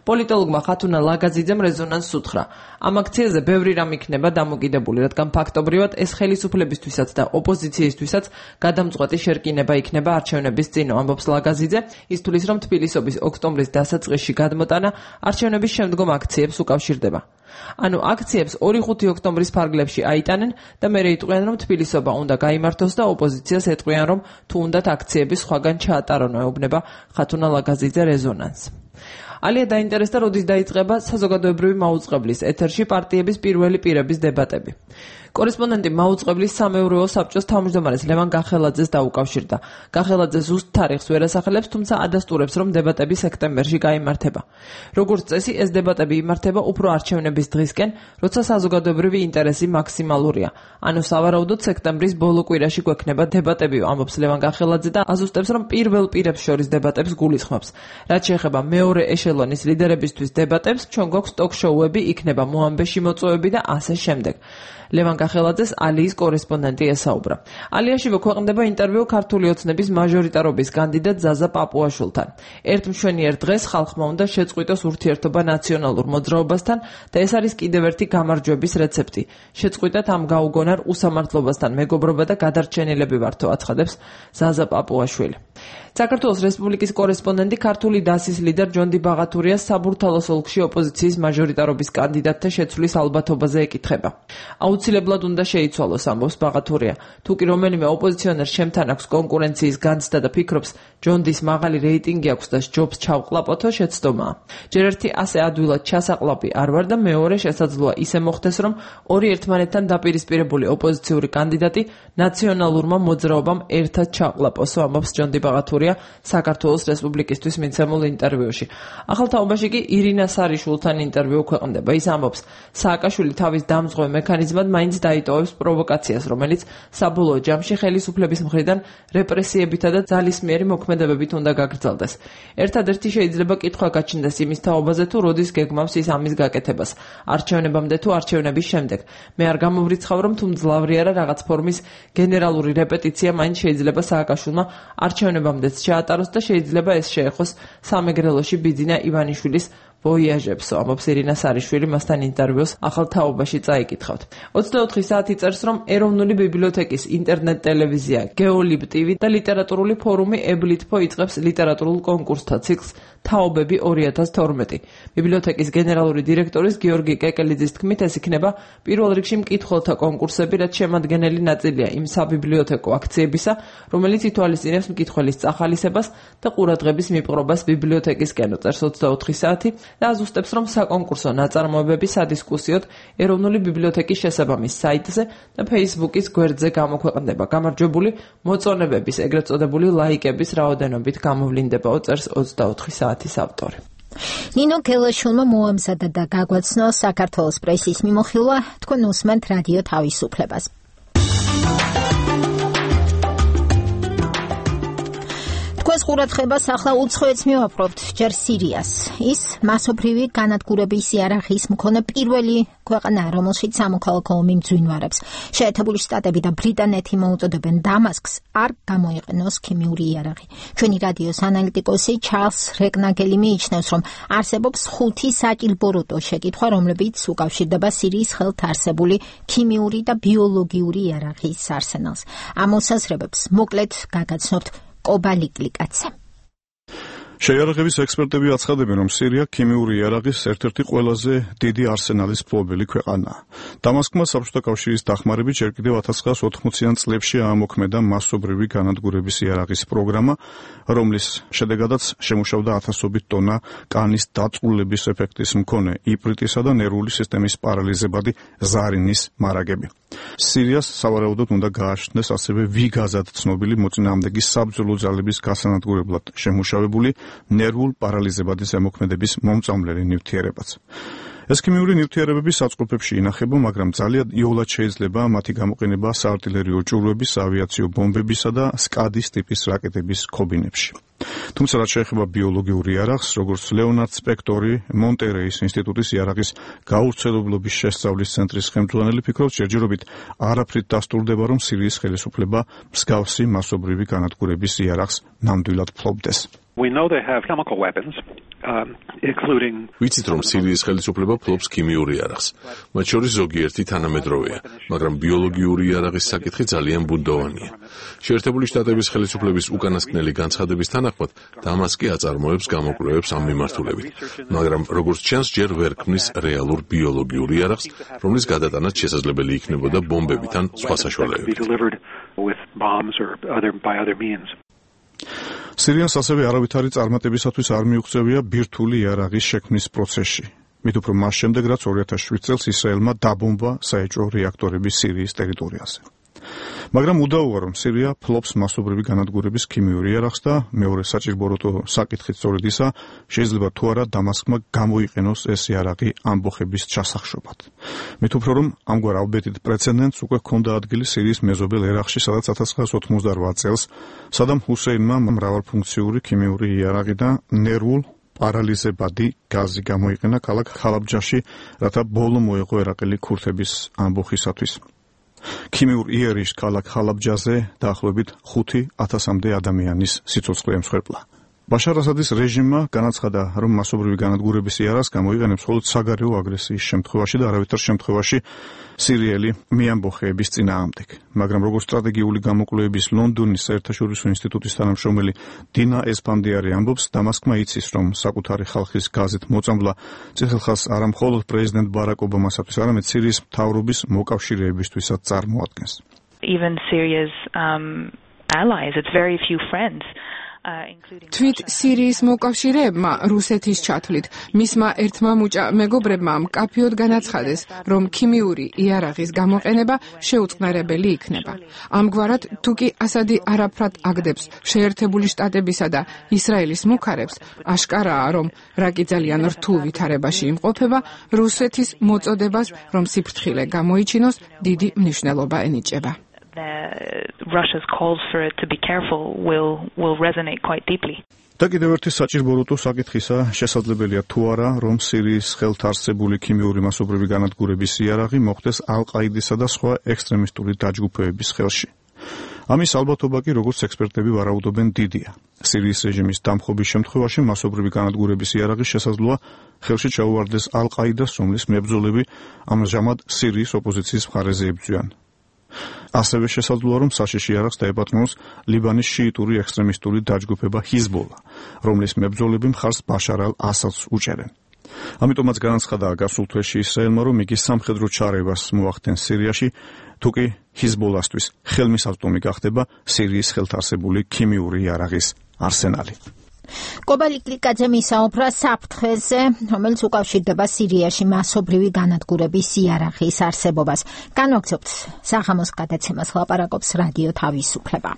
პოლიტოლოგმა ხათუნა ლაგაზიძემ რეზონანსს უთხრა. ამ აქციაზე ბევრი რამ იქნება დამოკიდებული, რადგან ფაქტობრივად ეს ხელისუფლებისთვისაც და ოპოზიციისთვისაც გადამწყვეტი შერკინება იქნება არჩევნების წინ, ამბობს ლაგაზიძე. ის თulis რომ თბილისობის ოქტომბრის დასაწყისში გადმოტანა არჩევნების შემდგომ აქციებს უკავშირდება. ანუ აქციებს 2-5 ოქტომბრის ფარგლებში აიტანენ და მერე იტყვიან რომ თბილისობა უნდა გაიმართოს და ოპოზიციას ეტყვიან რომ თუ უნდათ აქციები სხვაგან ჩაატარონ, ეუბნება ხათუნა ლაგაზიძე რეზონანსს. ალია დაინტერესდა, როდის დაიწყება საზოგადოებრივი მაუწყებლის ეთერში პარტიების პირველი პირების დებატები. კორესპონდენტი მაუწყებლის სამეურვეო საბჭოს თავმჯდომარეს ლევან გახელაძეს დაუკავშირდა. გახელაძე ზუსტ თარიღს ვერ ასახელებს, თუმცა ადასტურებს, რომ დებატები სექტემბერში გაიმართება. როგორც წესი, ეს დებატები იმართება უფრო არჩევნების დღისკენ, როცა საზოგადოებრივი ინტერესი მაქსიმალურია. ანუ სავარაუდოდ სექტემბრის ბოლო კვირაში გვექნება დებატები, ამბობს ლევან გახელაძე და აზუსტებს, რომ პირველ პირებს შორის დებატებს გულისხმობს. რაც შეეხება მეორე ეშელონის ლიდერებისთვის დებატებს, ჩვენ გვაქვს ტოკ-შოუები, იქნება მოამბეში მოწვევები და ასე შემდეგ. ლევან გახელაძეს ალიის კორესპონდენტი ესაუბრა. ალიაში ქვეყნდება ინტერვიუ ქართული ოცნების მაჟორიტარობის კანდიდატ ზაზა პაპუაშვილთან. ერთ მშვენიერ დღეს ხალხმა უნდა შეწყვიტოს ურთიერთობა ნაციონალურ მოძრაობასთან და ეს არის კიდევ ერთი გამარჯვების რეცეპტი. შეწყვიტათ ამ გაუგონარ უსამართლობასთან მეგობრობა და გადარჩენილები ვართო, აცხადებს ზაზა პაპუაშვილი. საქართველოს რესპუბლიკის კორესპონდენტი ქართული დასის ლიდერ ჯონდი ბაღათურიას საბურთალოს ოლქში ოპოზიციის მაჟორიტარობის კანდიდატთა შეცვლის ალბათობაზე ეკითხება. აუცილებლად უნდა შეიცვალოს, ამბობს ბაღათურია. თუ კი რომელიმე ოპოზიციონერს შემთან აქვს კონკურენციის განცდა და ფიქრობს ჯონდის მაღალი რეიტინგი აქვს და ჯობს ჩავყლაპოთო, შეცდომაა. ჯერ ერთი ასე ადვილად ჩასაყლაპი არ ვარ და მეორე შესაძლოა ისე მოხდეს, რომ ორი ერთმანეთთან დაპირისპირებული ოპოზიციური კანდიდატი ნაციონალურმა მოძრაობამ ერთად ჩაყლაპოსო, ამბობს ჯონდი ბაღათურია საქართველოს რესპუბლიკისთვის მიცემულ ინტერვიუში. ახალ თაობაში კი ირინა სარიშვილთან ინტერვიუ ქვეყნდება. ის ამბობს, სააკაშვილი თავის დამზღვევ მექანიზმად მაინც დაიტოვებს პროვოკაციას, რომელიც საბოლოო ჯამში ხელისუფლების მხრიდან რეპრესიებითა და ძალისმიერი მოქმედებებით უნდა გაგრძელდეს. ერთადერთი შეიძლება კითხვა გაჩნდეს იმის თაობაზე, თუ როდის გეგმავს ის ამის გაკეთებას, არჩევნებამდე თუ არჩევნების შემდეგ. მე არ გამოვრიცხავ, რომ თუ მძლავრი არა რაღაც ფორმის გენერალური რეპეტიცია მაინც შეიძლება სააკაშვილმა არჩევნებამდე ჩაატაროს და შეიძლება ეს შეეხოს სამეგრელოში ბიძინა ივანიშვილის ვოიაჟებს, ამბობს ირინა სარიშვილი მასთან ინტერვიუს ახალ თაობაში წაიკითხავთ. 24 საათი წერს, რომ ეროვნული ბიბლიოთეკის ინტერნეტ ტელევიზია გეოლიბ TV და ლიტერატურული ფორუმი ებლითფო იწყებს ლიტერატურულ კონკურსთა ციკლს თაობები 2012. ბიბლიოთეკის გენერალური დირექტორის გიორგი კეკელიძის თქმით, ეს იქნება პირველ რიგში მკითხველთა კონკურსები, რაც შემადგენელი ნაწილია იმ საბიბლიოთეკო აქციებისა, რომელიც ითვალისწინებს მკითხველის წახალისებას და ყურადღების მიპყრობას ბიბლიოთეკისკენ, წერს 24 საათი და აზუსტებს, რომ საკონკურსო ნაწარმოებები სადისკუსიოდ ეროვნული ბიბლიოთეკის შესაბამის საიტზე და Facebook-ის გვერდზე გამოქვეყნდება. გამარჯვებული მოწონებების, ეგრეთ წოდებული ლაიკების რაოდენობით გამოვლინდებაო, წერს 24 საათის ავტორი. ნინო გელაშვილმა მოამზადა და გაგვაცნო საქართველოს პრესის მიმოხილვა, თქვენ უსმენთ რადიო თავისუფლებას. თქვენს ყურადღებას ახლა უცხოეთს მივაპყრობთ, ჯერ სირიას. ის მასობრივი განადგურების იარაღის მქონე პირველი ქვეყანაა, რომელშიც სამოქალაქო ომი მძვინვარებს. შეერთებული შტატები და ბრიტანეთი მოუწოდებენ დამასკს არ გამოიყენოს ქიმიური იარაღი. ჩვენი რადიოს ანალიტიკოსი ჩარლს რეკნაგელი მიიჩნევს, რომ არსებობს 5 საჭილბოროტო შეკითხვა, რომლებიც უკავშირდება სირიის ხელთ არსებული ქიმიური და ბიოლოგიური იარაღის არსენალს. ამ მოსაზრებებს მოკლედ გაგაცნობთ კობალიკლიკაცე. შეიარაღების ექსპერტები აცხადებენ, რომ სირია ქიმიური იარაღის ერთ-ერთი ყველაზე დიდი არსენალის მფლობელი ქვეყანაა. დამასკმა საბჭოთა კავშირის დახმარებით ჯერ კიდევ 1980-იან წლებში აამოქმედა მასობრივი განადგურების იარაღის პროგრამა, რომლის შედეგადაც შემუშავდა ათასობით ტონა კანის დაწვრილების ეფექტის მქონე იპრიტისა და ნერვული სისტემის პარალიზებადი ზარინის მარაგები. სირიას სავარაუდოდ უნდა გააჩნდეს ასევე ვიგაზად ცნობილი მოწინააღმდეგი საბრძოლო ძალების გასანადგურებლად შემუშავებული ნერვულ პარალიზებადი ზემოქმედების მომწამლელი ნივთიერებაც. ეს ქიმიური ნივთიერებები საწყობებში ინახება, მაგრამ ძალიან იოლად შეიძლება მათი გამოყენება საარტილერიო ჭურვების, ავიაციო ბომბებისა და სკადის ტიპის რაკეტების ქობინებში. თუმცა რაც შეეხება ბიოლოგიურ იარაღს, როგორც ლეონარდ სპექტორი, მონტერეის ინსტიტუტის იარაღის გავრცელებლობის შესწავლის ცენტრის ხელმძღვანელი ფიქრობს, ჯერჯერობით არაფრით დასტურდება, რომ სირიის ხელისუფლება მსგავსი მასობრივი განადგურების იარაღს ნამდვილად ფლობდეს. We know they have chemical weapons, including... ვიცით, რომ სირიის ხელისუფლება ფლობს ქიმიურ იარაღს. მათ შორის ზოგიერთი თანამედროვეა, მაგრამ ბიოლოგიური იარაღის საკითხი ძალიან ბუნდოვანია. შეერთებული შტატების ხელისუფლების უკანასკნელი განცხადების თანახმად, დამასკი აწარმოებს გამოკვლევებს ამ მიმართულებით, მაგრამ როგორც ჩანს, ჯერ ვერ ქმნის რეალურ ბიოლოგიურ იარაღს, რომლის გადატანაც შესაძლებელი იქნებოდა ბომბებით ან სხვა საშუალებებით. სირიას ასევე არავითარი წარმატებისათვის არ მიუღწევია ბირთვული იარაღის შექმნის პროცესში. მით უფრო მას შემდეგ, რაც 2007 წელს ისრაელმა დაბომბა საეჭვო რეაქტორები სირიის ტერიტორიაზე. მაგრამ უდაოა, რომ სირია ფლობს მასობრივი განადგურების ქიმიური იარაღს და მეორე საჭირბოროტო საკითხით სწორედ ისა, შეიძლება თუ არა დამასკმა გამოიყენოს ეს იარაღი ამბოხების ჩასახშობად. მით უფრო რომ ამგვარ ალბეთით პრეცედენტს უკვე ჰქონდა ადგილი სირიის მეზობელ ერაყში, სადაც 1988 წელს სადამ ჰუსეინმა მრავალფუნქციური ქიმიური იარაღი და ნერვულ პარალიზებადი გაზი გამოიყენა ქალაქ ხალაბჯაში, რათა ბოლო მოეღო ერაყელი ქურთების ამბოხისათვის. ქიმიურ იერიშ ქალაქ ხალაბჯაზე დაახლოებით 5,000-მდე ადამიანის სიცოცხლე ემსხვერპლა. ბაშარ ასადის რეჟიმმა განაცხადა, რომ მასობრივი განადგურების იარაღს გამოიყენებს მხოლოდ საგარეო აგრესიის შემთხვევაში და არავითარ შემთხვევაში სირიელი მიამბოხეების წინააღმდეგ. მაგრამ როგორც სტრატეგიული გამოკვლევების ლონდონის საერთაშორისო ინსტიტუტის თანამშრომელი დინა ესპანდიარი ამბობს, დამასკმა იცის, რომ საკუთარი ხალხის გაზით მოწამვლა წითელხაზს არა მხოლოდ პრეზიდენტ ბარაკ ობამასათვის, არამედ სირიის მთავრობის მოკავშირეებისთვისაც წარმოადგენს. Even Syria's allies, it's very few friends. თვით სირიის მოკავშირეებმა რუსეთის ჩათვლით მისმა ერთმა მეგობრებმა მკაფიოდ განაცხადეს, რომ ქიმიური იარაღის გამოყენება შეუწყნარებელი იქნება. ამგვარად, თუკი ასადი არაფრად აგდებს შეერთებული შტატებისა და ისრაელის მუქარებს, აშკარაა, რომ რაკი ძალიან რთულ ვითარებაში იმყოფება, რუსეთის მოწოდებას, რომ სიფრთხილე გამოიჩინოს, დიდი მნიშვნელობა ენიჭება. Russia's calls for it to be careful will resonate quite deeply. და კიდევ ერთი საჭირბოროტო საკითხისა შესაძლებელია თუ არა, რომ სირიის ხელთ არსებული ქიმიური მასობრივი განადგურების იარაღი მოხდეს ალ-ყაიდისა და სხვა ექსტრემისტული დაჯგუფებების ხელში. ამის ალბათობა კი, როგორც ექსპერტები ვარაუდობენ, დიდია. სირიის რეჟიმის დამხობის შემთხვევაში მასობრივი განადგურების იარაღი შესაძლოა ხელში ჩაუვარდეს ალ-ყაიდას, რომლის მებრძოლები ამჟამად სირიის ოპოზიციის მხარეზე იბრძვიან. ასევე შესაძლოა, რომ საშიში იარაღს დაეპატრონოს ლიბანის შიიტური ექსტრემისტული დაჯგუფება ჰიზბოლა, რომლის მებრძოლები მხარს ბაშარ ალ-ასადს უჭერენ. ამიტომაც განაცხადა გასულ თვეში ისრაელმა, რომ იგი სამხედრო ჩარევას მოახდენს სირიაში, თუკი ჰიზბოლასთვის ხელმისაწვდომი გახდება სირიის ხელთარსებული ქიმიური იარაღის არსენალი. კობალი კლიკაძე მისაუბრა საფრთხეზე, რომელიც უკავშირდება სირიაში მასობრივი განადგურების იარაღის არსებობას. განვაგრძობთ საღამოს გადაცემას, ლაპარაკობს რადიო თავისუფლება.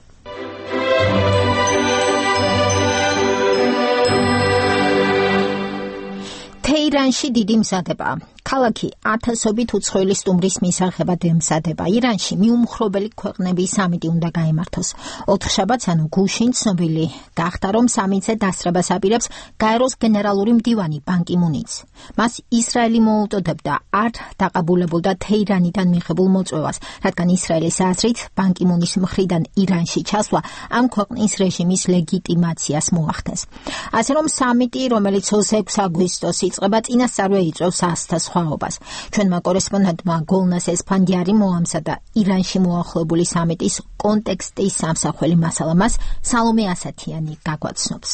თეირანში დიდი მზადება. ქალაქი ათასობით უცხოელი სტუმრის მისაღებად ემზადება. ირანში მიუმხრობელი ქვეყნების სამიტი უნდა გაიმართოს. ოთხშაბათს ანუ გუშინ ცნობილი გახდა, რომ სამიტზე დასწრებას აპირებს გაეროს გენერალური მდივანი ბან კი მუნიც. მას ისრაელი მოუტოდებდა არ დაყაბულებულდა თეირანიდან მიღებულ მოწვევას, რადგან ისრაელის აზრით ბან კი მუნის მხრიდან ირანში ჩასვლა ამ ქვეყნის რეჟიმის ლეგიტიმაციას მოახდენს. ასე რომ სამიტი, რომელიც 26 აგვისტოს იწყება, წინასწარვე იწვევს ასთა სხვაობას. ჩვენმა კორესპონდენტმა გოლნას ესფანდიარი მოამზადა ირანში მოახლოებული სამიტის კონტექსტის სამსახველი მასალა. მას სალომე ასათიანი გაგვაცნობს.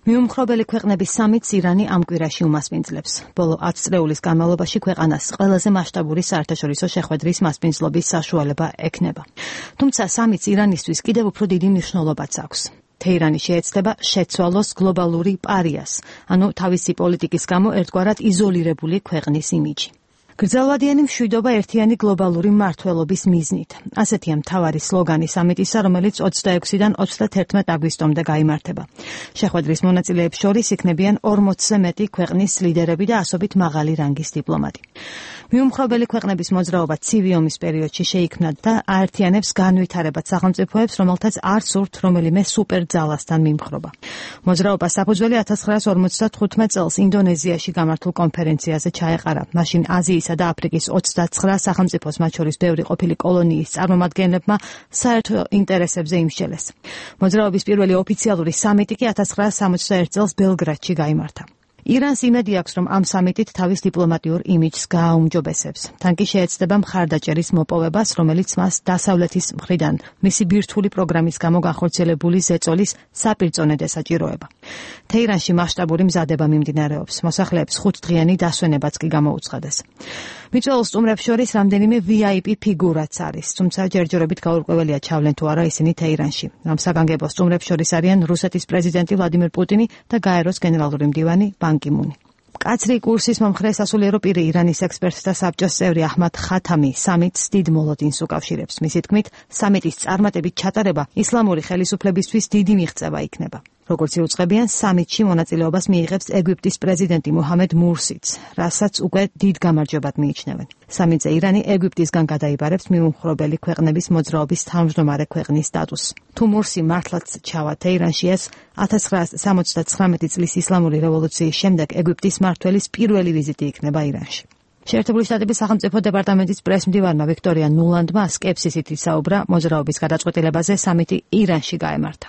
მიუმხრობელი ქვეყნების სამიტს ირანი ამ კვირაში უმასპინძლებს. ბოლო 10 წლეულის განმავლობაში ქვეყანას ყველაზე მასშტაბური საერთაშორისო შეხვედრის მასპინძლობის საშუალება ექნება. თუმცა სამიტს ირანისთვის კიდევ უფრო დიდი მნიშვნელობაც აქვს. თეირანი შეეცდება შეცვალოს გლობალური პარიას, ანუ თავისი პოლიტიკის გამო ერთგვარად იზოლირებული ქვეყნის იმიჯი. გრძელვადიანი მშვიდობა ერთიანი გლობალური მმართველობის მიზნით. ასეთია მთავარი სლოგანი სამიტისა, რომელიც 26-დან 31 აგვისტომდე გაიმართება. შეხვედრის მონაწილეებს შორის იქნებიან 40-ზე მეტი ქვეყნის ლიდერები და ასობით მაღალი რანგის დიპლომატი. მიუმხრობელი ქვეყნების მოძრაობა ცივი ომის პერიოდში შეიქმნა და აერთიანებს განვითარებად სახელმწიფოებს, რომელთაც არ სურთ რომელიმე სუპერძალასთან მიმხრობა. მოძრაობა საფუძველი 1955 წელს ინდონეზიაში გამართულ კონფერენციაზე ჩაეყარა. მაშინ აზიისა და აფრიკის 29 სახელმწიფოს, მათ შორის ბევრი ყოფილი კოლონიის წარმომადგენლებმა საერთო ინტერესებზე იმსჯელეს. მოძრაობის პირველი ოფიციალური სამიტი კი 1961 წელს ბელგრადში გაიმართა. ირანს იმედი აქვს, რომ ამ სამიტით თავის დიპლომატიურ იმიჯს გააუმჯობესებს. თან კი შეეცდება მხარდაჭერის მოპოვებას, რომელიც მას დასავლეთის მხრიდან მისი ბირთვული პროგრამის გამო განხორციელებული ზეწოლის საპირწონედ ესაჭიროება. თეირანში მასშტაბური მზადება მიმდინარეობს. მოსახლეებს 5 დღიანი დასვენებაც კი გამოუცხადეს. მიწვეულ სტუმრებს შორის რამდენიმე VIP ფიგურაც არის, თუმცა ჯერჯერობით გაურკვეველია ჩავლენ თუ არა ისინი თეირანში. ამ საგანგებო სტუმრებს შორის არიან რუსეთის პრეზიდენტი ვლადიმერ პუტინი და გაეროს გენერალური მდივანი ბან კი მუნი. კაცრი კურსის მომხრე სასულიერო პირი ირანის ექსპერტთა საბჭოს წევრი აჰმად ხათამი სამიტს დიდ მოლოდინს უკავშირებს. მისი თქმით, სამიტის წარმატებით ჩატარება ისლამური ხელისუფლებისთვის დიდი მიღწევა იქნება. როგორც იუწყებიან, სამიტში მონაწილეობას მიიღებს ეგვიპტის პრეზიდენტი მუჰამედ მურსიც, რასაც უკვე დიდ გამარჯვებად მიიჩნევენ. სამიტზე ირანი ეგვიპტისგან გადაიბარებს მიუმხრობელი ქვეყნების მოძრაობის თავმჯდომარე ქვეყნის სტატუსს. თუ მურსი მართლაც ჩავა თეირანში, ეს 1979 წლის ისლამური რევოლუციის შემდეგ ეგვიპტის მმართველის პირველი ვიზიტი იქნება ირანში. შეერთებული შტატების სახელმწიფო დეპარტამენტის პრესმდივარმა ვიქტორია ნულანდმა სკეპსისით ისაუბრა მოძრაობის გადაწყვეტილებაზე სამიტი ირანში გაემართა.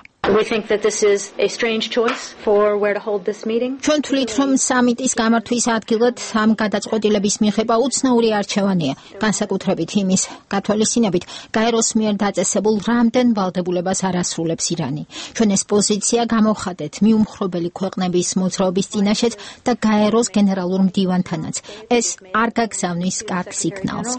ჩვენ თვლით, რომ სამიტის გამართვის ადგილად ამ გადაწყვეტილების მიღება უცნაური არჩევანია, განსაკუთრებით იმის გათვალისწინებით, გაეროს მიერ დაწესებულ რამდენ ვალდებულებას არ ასრულებს ირანი. ჩვენ ეს პოზიცია გამოვხადეთ მიუმხრობელი ქვეყნების მოძრაობის წინაშეც და გაეროს გენერალურ მდივანთანაც. ეს არ გაგზავნის კარგ სიგნალს.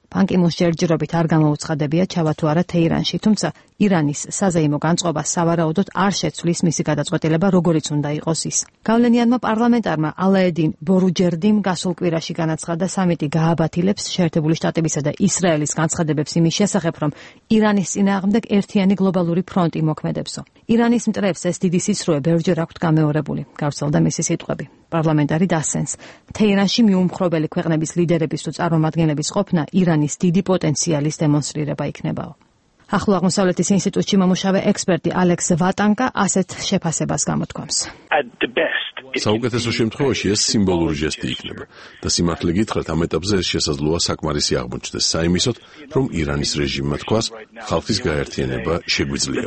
ბან კი მუნს ჯერჯერობით არ გამოუცხადებია ჩავა თუ არა თეირანში, თუმცა ირანის საზეიმო განწყობა სავარაუდოდ არ შეცვლის მისი გადაწყვეტილება, როგორიც უნდა იყოს ის. გავლენიანმა პარლამენტარმა ალაედინ ბორუჯერდიმ გასულ კვირაში განაცხადა, სამიტი გააბათილებს შეერთებული შტატებისა და ისრაელის განცხადებებს იმის შესახებ, რომ ირანის წინააღმდეგ ერთიანი გლობალური ფრონტი მოქმედებსო. ირანის მტრებს ეს დიდი სისრუე ბევრჯერ აქვთ გამეორებული, გავრცელდა მისი სიტყვები. პარლამენტარი დასცენს, თეირანში მიუმხრობელი ქვეყნების ლიდერების თუ წარმომადგენლების ყოფნა ირანის დიდი პოტენციალის დემონსტრირება იქნებაო. ახლო აღმოსავლეთის ინსტიტუტში მომუშავე ექსპერტი ალექს ვატანკა ასეთ შეფასებას გამოთქვამს. საუკეთესო შემთხვევაში ეს სიმბოლური ჟესტი იქნება და სიმართლე გითხრათ ამ ეტაპზე ეს შესაძლოა საკმარისი აღმოჩნდეს საიმისოდ, რომ ირანის რეჟიმმა თქვას, ხალხის გაერთიანება შეგვიძლია.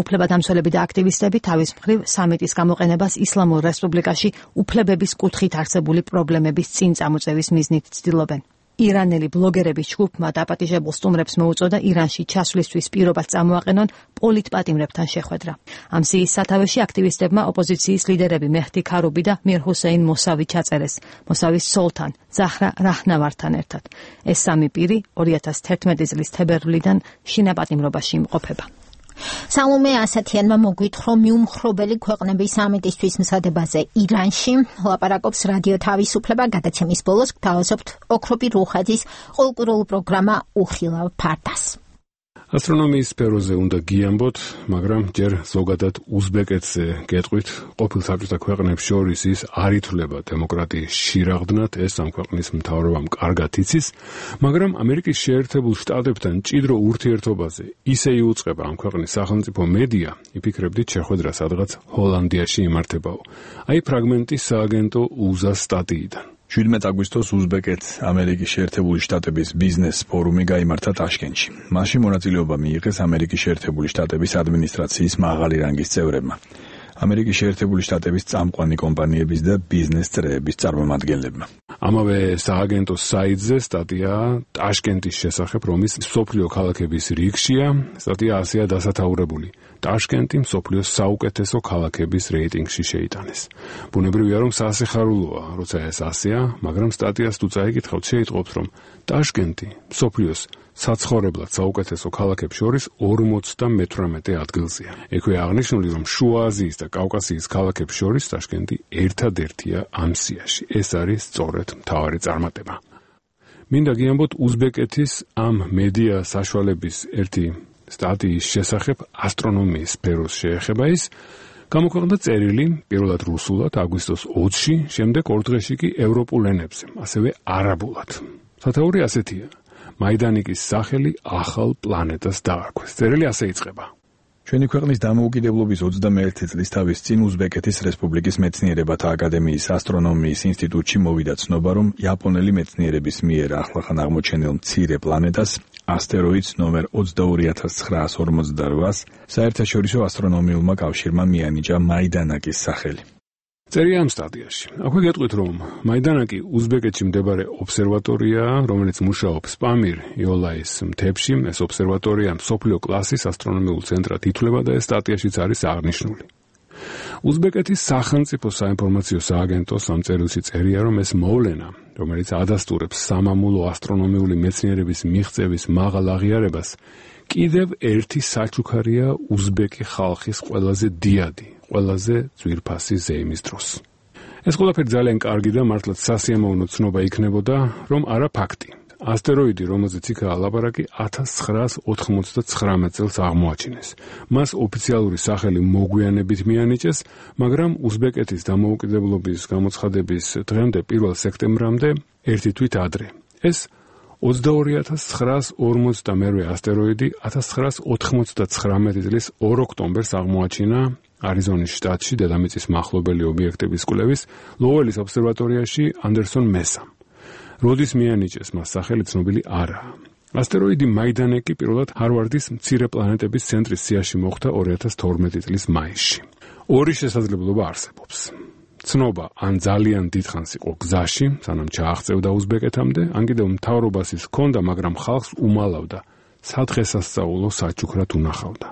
უფლებადამცველები და აქტივისტები თავის მხრივ სამიტის გამოყენებას ისლამურ რესპუბლიკაში უფლებების კუთხით არსებული პრობლემების წინ წამოწევის მიზნით ცდილობენ. ირანელი ბლოგერების ჯგუფმა დაპატიჟებულ სტუმრებს მოუწოდა ირანში ჩასვლისთვის პირობას წამოაყენონ პოლიტპატიმრებთან შეხვედრა. ამ სიის სათავეში აქტივისტებმა ოპოზიციის ლიდერები მეჰდი ქარუბი და მირ ჰუსეინ მოსავი ჩაწერეს, მოსავის სოლთან, ზაჰრა რაჰნავართან ერთად. ეს სამი პირი 2011 წლის თებერვლიდან შინაპატიმრობაში იმყოფება. სალომე ასათიანმა მოგვითხრა მიუმხრობელი ქვეყნების სამიტისთვის მსადებაზე ირანში. ლაპარაკობს რადიო თავისუფლება გადაცემის ბოლოს გთავაზობთ ოქროპი რუხაძის ყოველკვირეულ პროგრამა უხილავ ფარდას. ასტრონომიის სფეროზე უნდა გიამბოთ, მაგრამ ჯერ ზოგადად უზბეკეთზე გეტყვით, ყოფილ საბჭოთა ქვეყნებს შორის ის არ ითვლება დემოკრატიის შირაღდნად, ეს ამ ქვეყნის მთავრობამ კარგად იცის, მაგრამ ამერიკის შეერთებულ შტატებთან მჭიდრო ურთიერთობაზე ისე იუწყება ამ ქვეყნის სახელმწიფო მედია, იფიქრებდით შეხვედრა სადღაც ჰოლანდიაში იმართებაო. აი ფრაგმენტი სააგენტო უზას სტატიიდან. 17 აგვისტოს უზბეკეთ-ამერიკის შეერთებული შტატების ბიზნეს ფორუმი გაიმართა ტაშკენტში. მასში მონაწილეობა მიიღეს ამერიკის შეერთებული შტატების ადმინისტრაციის მაღალი რანგის წევრებმა, ამერიკის შეერთებული შტატების წამყვანი კომპანიების და ბიზნეს წრეების წარმომადგენლებმა. ამავე სააგენტოს საიტზე სტატია ტაშკენტის შესახებ, რომლის მსოფლიო ქალაქების რიგშია, სტატია ასეა დასათაურებული. ტაშკენტი მსოფლიოს საუკეთესო ქალაქების რეიტინგში შეიტანეს. ბუნებრივია, რომ სასიხარულოა, როცა ეს ასეა, მაგრამ სტატიას თუ წაიკითხავთ, შეიტყობთ, რომ ტაშკენტი მსოფლიოს საცხოვრებლად საუკეთესო ქალაქებს შორის 58 ადგილზეა. ექვე აღნიშნული, რომ შუა აზიის და კავკასიის ქალაქებს შორის ტაშკენტი ერთადერთია ამ სიაში. ეს არის სწორედ მთავარი წარმატება. მინდა გიამბოთ უზბეკეთის ამ მედია საშუალების ერთი სტატიის შესახებ ასტრონომიის სფეროს შეეხება ის, გამოქვეყნდა წერილი პირველად რუსულად აგვისტოს 20-ში, შემდეგ ორ დღეში კი ევროპულ ენებზე, ასევე არაბულად. სათაური ასეთია: მაიდანიკის სახელი ახალ პლანეტას დაარქვეს. წერილი ასე იწყება: ჩვენი ქვეყნის დამოუკიდებლობის 21 წლის თავის წინ უზბეკეთის რესპუბლიკის მეცნიერებათა აკადემიის ასტრონომიის ინსტიტუტში მოვიდა ცნობა, რომ იაპონელი მეცნიერების მიერ ახლახან აღმოჩენილ მცირე პლანეტას, ასტეროიდს ნომერ 22948-ს საერთაშორისო ასტრონომიულმა კავშირმა მიანიჭა მაიდანაკის სახელი. წერია ამ სტატიაში. აქვე გეტყვით, რომ მაიდანაკი უზბეკეთში მდებარე ობსერვატორიაა, რომელიც მუშაობს პამირ იოლაის მთებში. ეს ობსერვატორია მსოფლიო კლასის ასტრონომიულ ცენტრად ითვლება და ეს სტატიაშიც არის აღნიშნული. უზბეკეთის სახელმწიფო საინფორმაციო სააგენტოს ამ წერილში წერია, რომ ეს მოვლენა, რომელიც ადასტურებს სამამულო ასტრონომიული მეცნიერების მიღწევის მაღალ აღიარებას, კიდევ ერთი საჩუქარია უზბეკი ხალხის ყველაზე დიადი, ყველაზე ძვირფასი ზეიმის დროს. ეს ყველაფერი ძალიან კარგი და მართლაც სასიამოვნო ცნობა იქნებოდა, რომ არა ფაქტი. ასტეროიდი, რომელზეც იქაა ლაპარაკი, 1999 წელს აღმოაჩინეს. მას ოფიციალური სახელი მოგვიანებით მიანიჭეს, მაგრამ უზბეკეთის დამოუკიდებლობის გამოცხადების დღემდე 1 სექტემბრამდე, ერთი თვით ადრე. ეს 22942 ასტეროიდი 1999 წლის 2 ოქტომბერს აღმოაჩინა არიზონის შტატში დედამიწის მახლობელი ობიექტების კვლევის ლოუელის ობსერვატორიაში ანდერსონ მესამ. როდის მიანიჭეს მას სახელი ცნობილი არაა. ასტეროიდი მაიდანაკი პირველად ჰარვარდის მცირე პლანეტების ცენტრის სიაში მოხვდა 2012 წლის მაისში. ორი შესაძლებლობა არსებობს. ცნობა ან ძალიან დიდხანს იყო გზაში, სანამ ჩააღწევდა უზბეკეთამდე, ან კიდევ მთავრობას ის ჰქონდა, მაგრამ ხალხს უმალავდა, სადღესასწაულო საჩუქრად უნახავდა.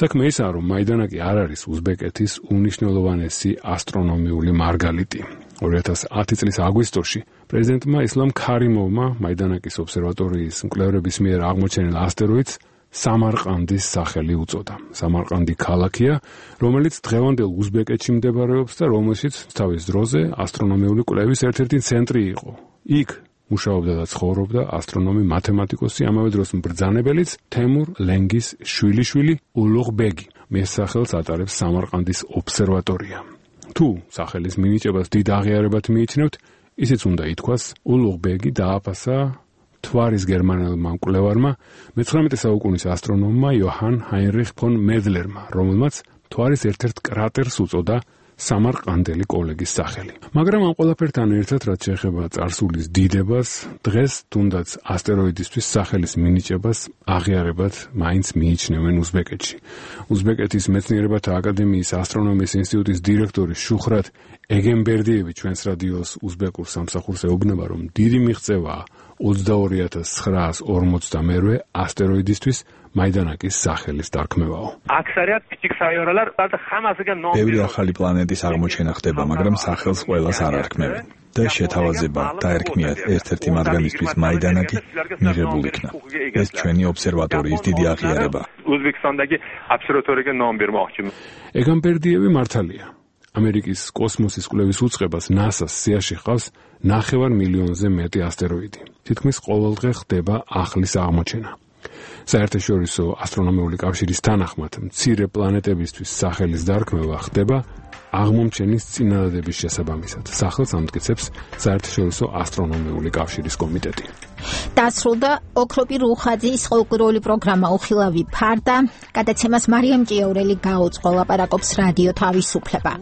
საქმე ისაა, რომ მაიდანაკი არ არის უზბეკეთის უმნიშვნელოვანესი ასტრონომიული მარგალიტი. 2010 წლის აგვისტოში პრეზიდენტმა ისლამ ქარიმოვმა მაიდანაკის ობსერვატორიის მკვლევრების მიერ აღმოჩენილ ასტეროიდს სამარყანდის სახელი უწოდა. სამარყანდი ქალაქია, რომელიც დღევანდელ უზბეკეთში მდებარეობს და რომელშიც თავის დროზე ასტრონომიული კვლევის ერთ-ერთი ცენტრი იყო. იქ მუშაობდა და ცხოვრობდა ასტრონომი მათემატიკოსი, ამავე დროს mbრძანებელიც თემურ ლენგის შვილიშვილი ულუღბეგი. მის სახელს ატარებს სამარყანდის ობსერვატორია. თუ სახელის მინიჭებას დიდ აღიარებად მიიჩნევთ, ისიც უნდა ითქვას, ულუღბეგი დააფასა მთვარის გერმანელმა მკვლევარმა, მე-19 საუკუნის ასტრონომმა იოჰან ჰაინრიხ ფონ მედლერმა, რომელმაც მთვარის ერთ-ერთ კრატერს უწოდა სამარყანდელი კოლეგის სახელი. მაგრამ ამ ყველაფერთან ერთად, რაც შეეხება წარსულის დიდებას, დღეს თუნდაც ასტეროიდისთვის სახელის მინიჭებას აღიარებად მაინც მიიჩნევენ უზბეკეთში. უზბეკეთის მეცნიერებათა აკადემიის ასტრონომიის ინსტიტუტის დირექტორი შუხრატ ეგენბერდიევი ჩვენს რადიოს უზბეკურ სამსახურს ეუბნება, რომ დიდი მიღწევაა 22942 ასტეროიდისთვის მაიდანაკის სახელის დარქმევაო. ბევრი ახალი პლანეტის აღმოჩენა ხდება, მაგრამ სახელს ყველას არ არქმევენ. და შეთავაზება დაერქმიათ ერთ-ერთი მათგანისთვის მაიდანაკი მიღებულ იქნა. ეს ჩვენი ობსერვატორიის დიდი აღიარება. ეგენბერდიევი მართალია. ამერიკის კოსმოსის კვლევის უწყებას NASA-ს სიაში ჰყავს 9 მილიონზე მეტი ასტეროიდი. თითქმის ყოველდღე ხდება ახლის აღმოჩენა. საერთაშორისო ასტრონომიული კავშირის თანახმად, მცირე პლანეტებისთვის სახელის დარქმევა ხდება აღმომჩენის წინადადების შესაბამისად. სახელს ამტკიცებს საერთაშორისო ასტრონომიული კავშირის კომიტეტი. დასრულდა ოქროპი რუხაძის ყოველკვირეული პროგრამა უხილავი ფარდა. გადაცემას მარიამ ჭიაურელი გაუწყო, ლაპარაკობს რადიო თავისუფლება.